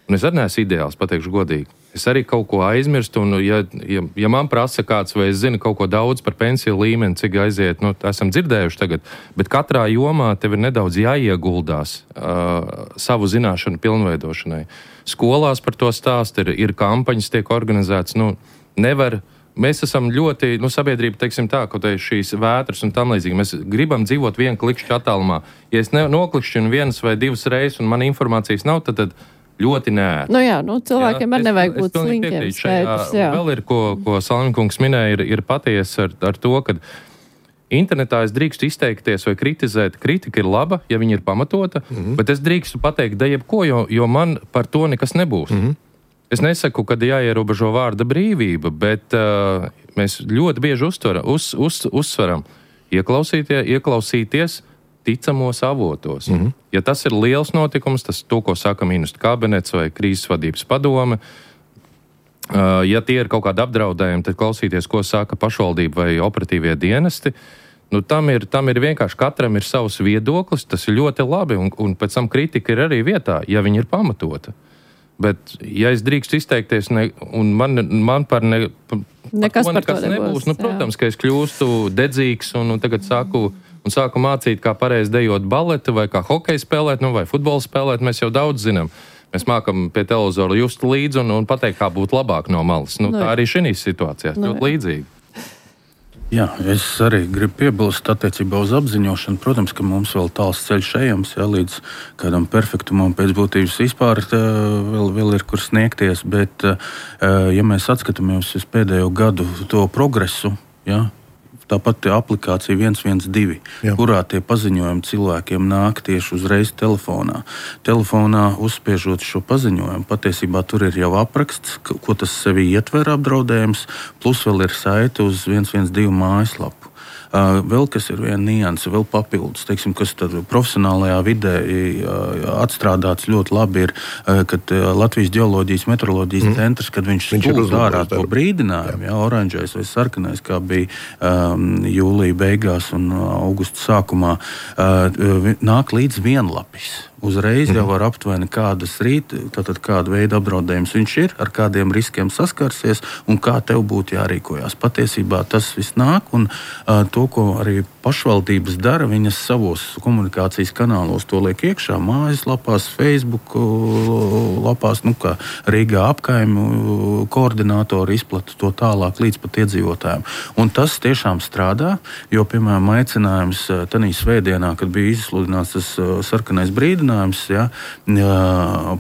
un es arī neesmu ideāls, pateikšu godīgi. Es arī kaut ko aizmirstu, un ja man prasa kāds, vai es zinu kaut ko daudz par pensiju līmeni, cik aiziet, esam dzirdējuši tagad, bet katrā jomā tev ir nedaudz jāieguldās savu zināšanu pilnveidošanai. Skolās par to stāst, ir kampaņas tiek organizētas, mēs esam ļoti, sabiedrība, teiksim tā, kaut arī šīs vētras un tam līdzīgi, mēs gribam dzīvot vienu klikšķu attālumā. Ja es noklikšķinu vienas vai divas reizes un man informācijas nav, tad ļoti nērti. Cilvēkiem arī nevajag būt slinkiem. Vēl ir, ko Salmiņkungs minēja, ir patiesi ar to, ka internetā es drīkstu izteikties vai kritizēt. Kritika ir laba, ja viņa ir pamatota, bet es drīkstu pateikt jebko, jo man par to nekas nebūs. Es nesaku, ka jāierobežo vārda brīvība, bet mēs ļoti bieži uzsveram ieklausīties ticamos avotos. Ja tas ir liels notikums, tas to, ko saka ministru kabinets vai krīzes vadības padome, ja tie ir kaut kādi apdraudējumi, tad klausīties, ko saka pašvaldība vai operatīvie dienesti. Tam ir vienkārši katram ir savs viedoklis, tas ir ļoti labi, un pēc tam kritika ir arī vietā, ja viņi ir pamatota. Bet, ja es drīkstu izteikties, un man par nekas nebūs, protams, ka es kļūstu dedzīgs un tagad sāku mācīt, kā pareizi dejot baleti, vai kā hokeju spēlēt, vai futbolu spēlēt, mēs jau daudz zinām. Mēs mākam pie televizora just līdzi un pateikt, kā būtu labāk no malas. Tā arī šīs situācijās ļoti līdzīgi. Jā, es arī gribu piebilst attiecībā uz apziņošanu. Protams, ka mums vēl tāls ceļš ejams, līdz kādam perfektumam pēc būtības vispār vēl ir kur sniegties, bet ja mēs atskatāmies uz pēdējo gadu to progresu, tāpat aplikācija 112, kurā tie paziņojumi cilvēkiem nāk tieši uzreiz telefonā. Telefonā uzspiežot šo paziņojumu, patiesībā tur ir jau apraksts, ko tas sevi ietver apdraudējums, plus vēl ir saite uz 112 mājaslapu. Vēl kas ir viena nianse, vēl papildus, teiksim, kas tad profesionālajā vidē atstrādāts ļoti labi ir, kad Latvijas ģeoloģijas meteoroloģijas centrs, kad viņš stūst ārā to brīdinājumu, oranžais vai sarkanais, kā bija jūlija beigās un augusta sākumā, nāk līdz vienlapis. Uzreiz jau var aptuveni kādas tātad kāda veida apdraudējums viņš ir, ar kādiem riskiem saskarsies un kā tev būtu jārīkojās. Patiesībā tas viss nāk, un to, ko arī pašvaldības dara, viņas savos komunikācijas kanālos to liek iekšā, mājaslapās, Facebook lapās, kā Rīgā apkaimu koordinātori izplata to tālāk līdz pat iedzīvotājiem. Un tas tiešām strādā, jo, piemēram, aicinājums tanī svētdienā, kad bija izsludināts tas sarkanais brīdinājums,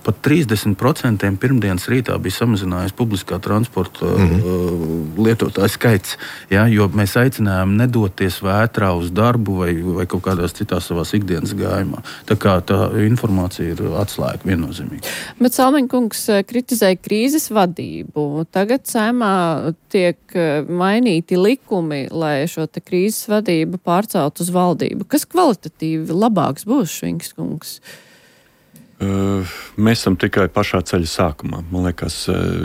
pat 30% pirmdienas rītā bija samazinājies publiskā transporta lietotāju skaits, jo mēs aicinājām nedoties vētrā uz darbu vai kaut kādās citās savās ikdienas gājumā. Tā kā tā informācija ir atslēga viennozīmīgi. Bet Salmiņkungs kritizēja krīzes vadību. Tagad Saeimā tiek mainīti likumi, lai šo te krīzes vadību pārcelt uz valdību. Kas kvalitatīvi labāks būs, Švinkskungs? Mēs esam tikai pašā ceļa sākumā. Man liekas,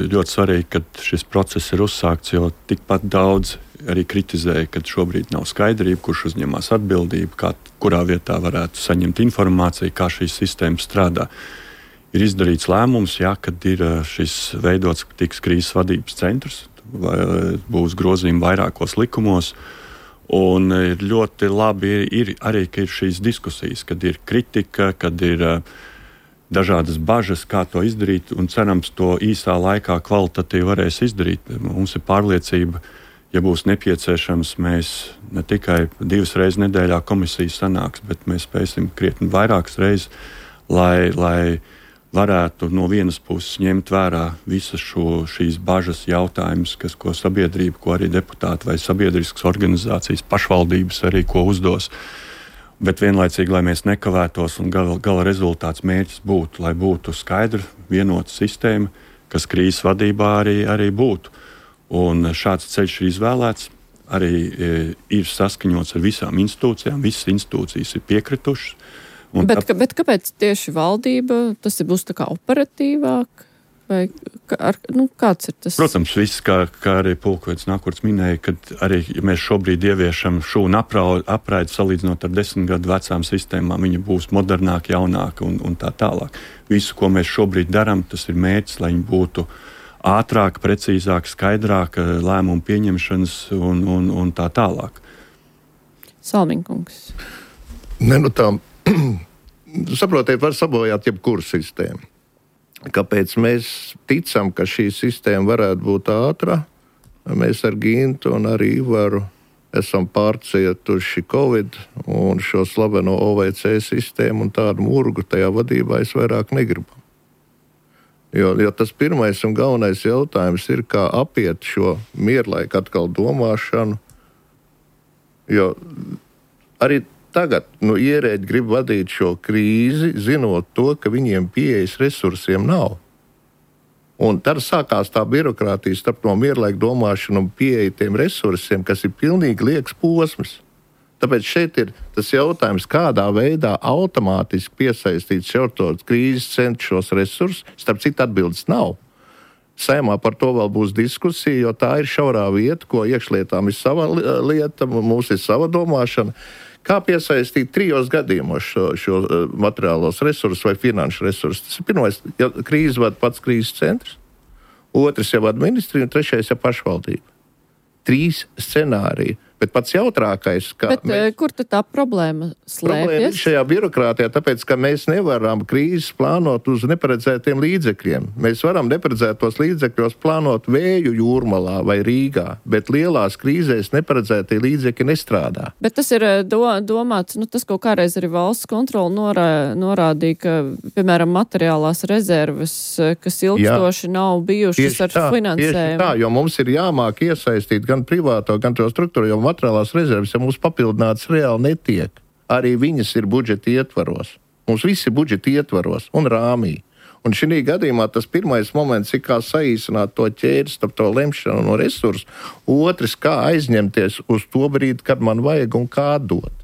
ļoti svarīgi, ka šis process ir uzsākts, jo tikpat daudz arī kritizēja, ka šobrīd nav skaidrība, kurš uzņemās atbildību, kurā vietā varētu saņemt informāciju, kā šīs sistēmas strādā. Ir izdarīts lēmums, kad ir šis veidots tiks krīzes vadības centrs, būs grozījumi vairākos likumos, un ir ļoti labi ir arī, ka ir šīs diskusijas, kad ir kritika, kad ir dažādas bažas, kā to izdarīt, un cerams, to īsā laikā kvalitatīvi varēs izdarīt. Mums ir pārliecība, ja būs nepieciešams, mēs ne tikai 2 reizes nedēļā komisijas sanāks, bet mēs spēsim krietni vairākas reizes, lai varētu no vienas puses ņemt vērā visas šīs bažas jautājumus, ko sabiedrība, ko arī deputāti vai sabiedriskas organizācijas, pašvaldības arī ko uzdos. Bet vienlaicīgi, lai mēs nekavētos un gala rezultāts mērķis būtu, lai būtu skaidra, vienota sistēma, kas krīzes vadībā arī būtu. Un šāds ceļš ir izvēlēts, arī ir saskaņots ar visām institūcijām, visas institūcijas ir piekritušas. Bet kāpēc tieši valdība, tas būs tā kā operatīvāk? Vai kāds ir tas? Protams, viss, kā arī pulkvedis Nakurts minēja, kad arī ja mēs šobrīd ieviešam šūnu apraidi salīdzinot ar 10 gadu vecām sistēmām, viņa būs modernāka, jaunāka un tā tālāk. Visu, ko mēs šobrīd darām, tas ir mērķis, lai viņi būtu ātrāk, precīzāk, skaidrāk lēmumu pieņemšanas un tā tālāk. Salmiņkungs. Saprotiet, var sabojāt jebkuru sistēmu. Kāpēc mēs ticam, ka šī sistēma varētu būt ātra? Mēs ar Gintu un arī Ivaru esam pārcietuši Covid un šo slaveno OVC sistēmu un tādu murgu tajā vadībā es vairāk negribu. Jo tas pirmais un galvenais jautājums ir, kā apiet šo mierlaiku atkal domāšanu. Jo arī tagad ierēģi grib vadīt šo krīzi, zinot to, ka viņiem pieejas resursiem nav. Un tad sākās tā birokrātija starp no mierlaika domāšanu un pieeja tiem resursiem, kas ir pilnīgi liekas posms. Tāpēc šeit ir tas jautājums, kādā veidā automātiski piesaistīt šautos krīzes centru šos resursus, starp citu atbildes nav. Saimā par to vēl būs diskusija, jo tā ir šaurā vieta, ko iekšlietām ir sava lieta, mums ir sava domāšana. Kā piesaistīt 3 gadījumos šo materiālos resursus vai finanšu resursus? Tas ir pirmais, ja krīze vada pats krīzes centrs, otrs jau administrija un trešais jau pašvaldība. 3 scenāriji. Bet pats jautrākais, kur tad tā problēma slēpjas? Problēma ir šajā birokrātijā, tāpēc, ka mēs nevaram krīzes plānot uz neparedzētiem līdzekļiem. Mēs varam neparedzētos līdzekļos plānot vēju Jūrmalā vai Rīgā, bet lielās krīzēs neparedzētie līdzekļi nestrādā. Bet tas ir domāts, tas kaut kādreiz arī valsts kontrola norādīja, ka, piemēram, materiālās rezerves, kas ilgstoši nav bijušas ar finansējumu. Tieši tā, jo mums ir jāmāk iesaistīt gan privāto, gan to struktūru, jo materiālās rezerves, ja mums papildināts reāli netiek, arī viņas ir budžeta ietvaros. Mums viss ir budžeta ietvaros un rāmī. Un šī gadījumā tas pirmais moments ir, kā saīsināt to ķēdi starp to lemšanu no resursu, otrs, kā aizņemties uz to brīdi, kad man vajag un kā dot.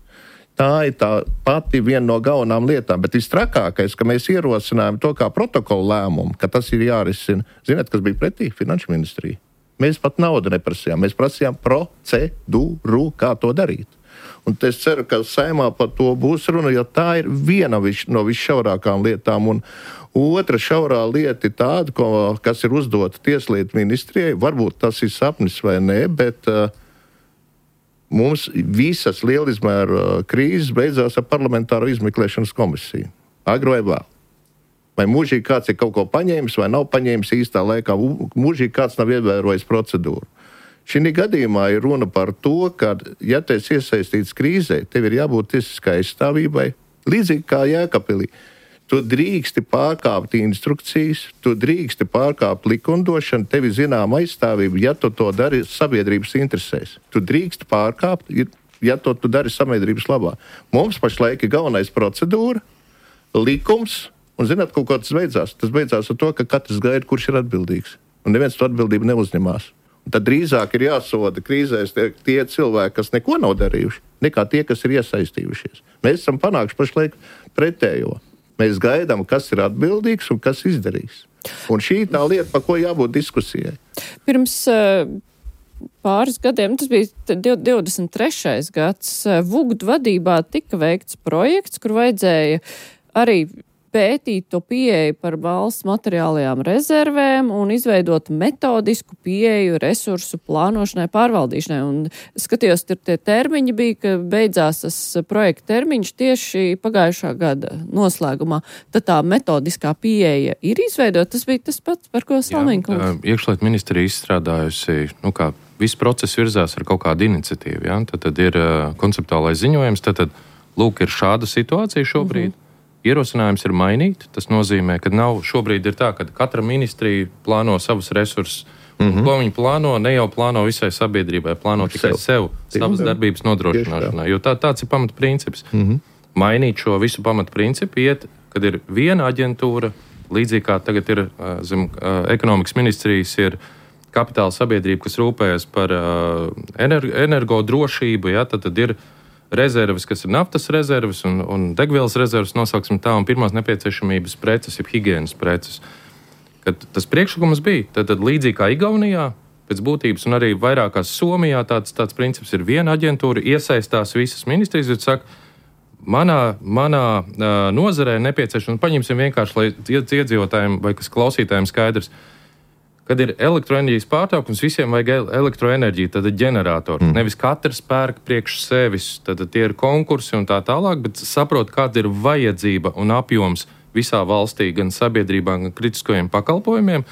Tā ir tā pati viena no galvenām lietām, bet visstrakākais, ka mēs ierosinājām to kā protokolu lēmumu, ka tas ir jārisina. Ziniet, kas bija pretī? Finanšu ministrija. Mēs pat naudu neprasījām, mēs prasījām procedūru, kā to darīt. Un es ceru, ka Saimā par to būs runa, jo tā ir viena no visšaurākām lietām. Un otra šaurā lieta ir tāda, kas ir uzdota Tieslietu ministrijai. Varbūt tas ir sapnis vai nē, bet mums visas lielizmēra krīzes beidzās ar parlamentāro izmeklēšanas komisiju. Agri vai vēl. Vai mūžīgi kāds ir kaut ko paņēmis vai nav paņēmis īstā laikā, mūžīgi kāds nav ievērojis procedūru. Šī gadījumā ir runa par to, ka, ja tu esi iesaistīts krīzē, tev ir jābūt tiesiskai aizstāvībai, līdzīgi kā Jēkabpilī. Tu drīksti pārkāpt instrukcijas, tu drīksti pārkāpt likumdošanu, tev ir zināma aizstāvība, ja tu to dari sabiedrības interesēs. Tu drīksti pārkāpt, ja to tu dari sabiedrības labā. Mums pašlaik ir galvenais procedūra, likums. Un, zināt, kaut ko tas beidzās. Tas beidzās ar to, ka katrs gaida, kurš ir atbildīgs. Un neviens to atbildību neuzņemās. Un tad drīzāk ir jāsoda krīzēs tie cilvēki, kas neko nav darījuši, nekā tie, kas ir iesaistījušies. Mēs esam panākuši pašlaik pretējo. Mēs gaidām, kas ir atbildīgs un kas izdarīs. Un šī tā lieta, par ko jābūt diskusijai. Pirms pāris gadiem, tas bija 23. gads, Vugdu vadībā tika veikts projekts, kur vajadzēja arī pētīt to pieeju par valsts materiālajām rezervēm un izveidot metodisku pieeju resursu plānošanai, pārvaldīšanai. Un skatījos, tur tie termiņi bija, ka beidzās tas projekta termiņš tieši pagājušā gada noslēgumā. Tad tā metodiskā pieeja ir izveidot. Tas bija tas pats, par ko Salmiņkungs. Iekšlietu ministrija izstrādājusi, kā viss process virzās ar kaut kādu iniciatīvu. Ja? Tad ir konceptuālais ziņojums, tad lūk, ir šāda situācija šobrīd. ierosinājums ir mainīt. Tas nozīmē, ka šobrīd ir tā, ka katra ministrija plāno savus resursus. Ko viņi plāno, ne jau plāno visai sabiedrībai, plāno tikai sev savas darbības nodrošināšanai, jo tāds ir pamatprincips. Mainīt šo visu pamatprincipu kad ir viena aģentūra, līdzīgi kā tagad ir zem ekonomikas ministrijas, ir kapitāla sabiedrība, kas rūpējas par energodrošību, tad ir rezerves, kas ir naftas rezerves un degvielas rezerves, nosauksim tā, un pirmās nepieciešamības preces, jeb higienas preces. Kad tas priekšlikums bija, tad līdzīgi kā Igaunijā, pēc būtības, un arī vairākās Somijā tāds princips ir viena aģentūra, iesaistās visas ministrijas, bet saka, manā nozarē nepieciešams, paņemsim vienkārši, lai iedzīvotājiem vai kas klausītājiem skaidrs, kad ir elektroenerģijas pārtraukums, visiem vajag elektroenerģiju, tad ir ģenerators. Nevis katrs pērk priekš sevis, tad tie ir konkursi un tā tālāk, bet saprot, kāda ir vajadzība un apjoms visā valstī, gan sabiedrībā, gan kritiskajiem pakalpojumiem.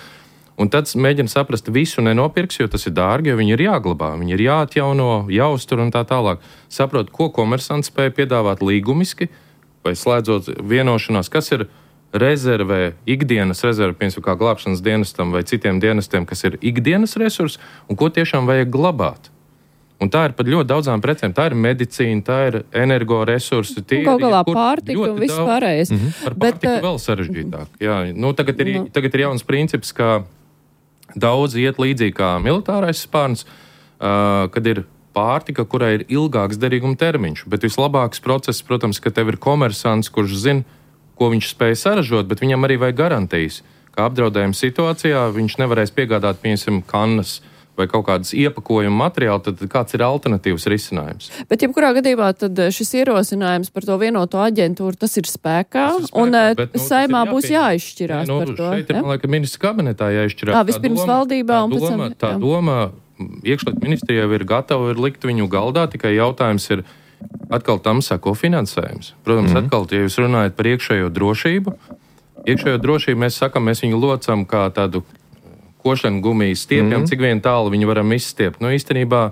Un tad mēģina saprast, visu nenopirks, jo tas ir dārgi, jo viņi ir jāglabā, viņi ir jāatjauno, jāuztur un tā tālāk. Saprot, ko komersanti spēja piedāvāt līgumiski, vai slēdzot vienošanās, kas ir rezervē, ikdienas rezerve, piemēram, kā glābšanas dienestam vai citiem dienestiem, kas ir ikdienas resursi, un ko tiešām vajag glabāt. Un tā ir pat ļoti daudzām precēm. Tā ir medicīna, tā ir energoresursi. Kaut galā pārtika un viss pārējais. Par pārtiku vēl sarežģītāk. Jā, tagad ir jauns princips, ka daudz iet līdzīgi kā militārais spārns, kad ir pārtika, kurai ir ilgāks derīguma termiņš. Bet vislabāks process, protams, ka tev ir komersants, kurš zina, ko viņš spēj saražot, bet viņam arī vajag garantijas, ka apdraudējuma situācijā viņš nevarēs piegādāt, piemēram, kannas vai kaut kādas iepakojuma materiāli, tad kāds ir alternatīvs risinājums. Bet jebkurā gadījumā tad šis ierosinājums par to vienoto aģentūru, tas ir spēkā, Saimā būs jāizšķirās par to. Šeit ir, man liekas, ministrs kabinetā jāizšķirās. Vispirms valdībā un pēc tam. Tā doma iekšliet ministrijai ir gatava likt viņu galdā, tikai jautājums ir, atkal tam sako finansējums. Protams, atkal, ja jūs runājat par iekšējo drošību, mēs sakam, mēs viņu locam kā tādu košana gumijas stiepjam, cik vien tālu viņu varam izstiept. Īstenībā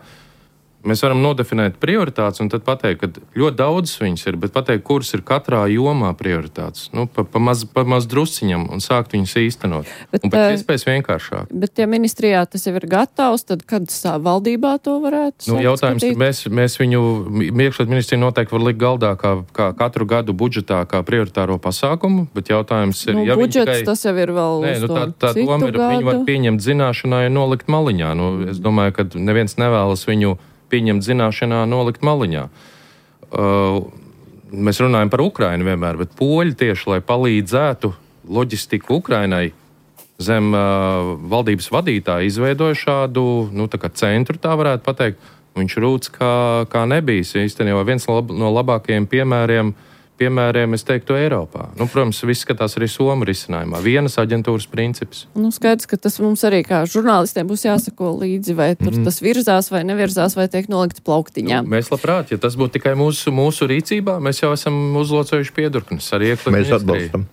mēs varam nodefinēt prioritātes un tad pateikt, ka ļoti daudz viņas ir, bet pateikt, kuras ir katrā jomā prioritātes. Pa maz drusciņam un sākt viņus īstenot. Un pēc iespējas vienkāršāk. Bet ja ministrijā tas jau ir gatavs, tad kad valdībā to varētu jautājums, ka mēs viņu iekšliet ministriju noteikti var likt galdā kā katru gadu budžetā kā prioritāro pasākumu, bet jautājums ir, ja budžets tas jau ir vēl tā doma ir, viņu var pieņemt zināšanai un nolikt maliņā. Es domāju, ka neviens nevēlas viņu pieņemt zināšanā, nolikt maliņā. Mēs runājam par Ukrainu vienmēr, bet poļi tieši, lai palīdzētu loģistiku Ukrainai, zem valdības vadītāja izveidoja šādu, centru, tā varētu pateikt. Viņš rūc kā nebijis. Īstenībā viens no labākajiem piemēriem, es teiktu, Eiropā. Protams, viss skatās arī Somu risinājumā. Vienas aģentūras princips. Skaidrs, ka tas mums arī kā žurnālistiem būs jāsako līdzi, vai tur tas virzās vai nevirzās, vai tiek nolikts plauktiņā. Mēs labprāt, ja tas būtu tikai mūsu rīcībā, mēs jau esam uzlocējuši piedurknes arī iekšliet mēs atbalstam.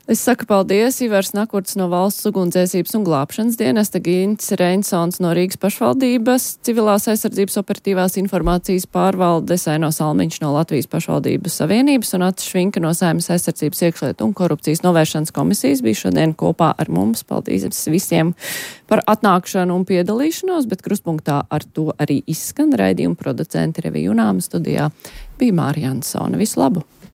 Es saku paldies, Ivars Nakurts no Valsts ugunsdzēsības un glābšanas dienesta, Gints Reinsons no Rīgas pašvaldības, Civilās aizsardzības operatīvās informācijas pārvaldes, Aino Salmiņš no Latvijas pašvaldības savienības un Acis Švinka no Saeimas aizsardzības iekšlietu un korupcijas novēršanas komisijas bija šodien kopā ar mums. Paldies visiem par atnākšanu un piedalīšanos, bet Krustpunktā ar to arī izskan raidījuma producenti Revija Junāma, studijā bija Mārija Ansone. Visu labu!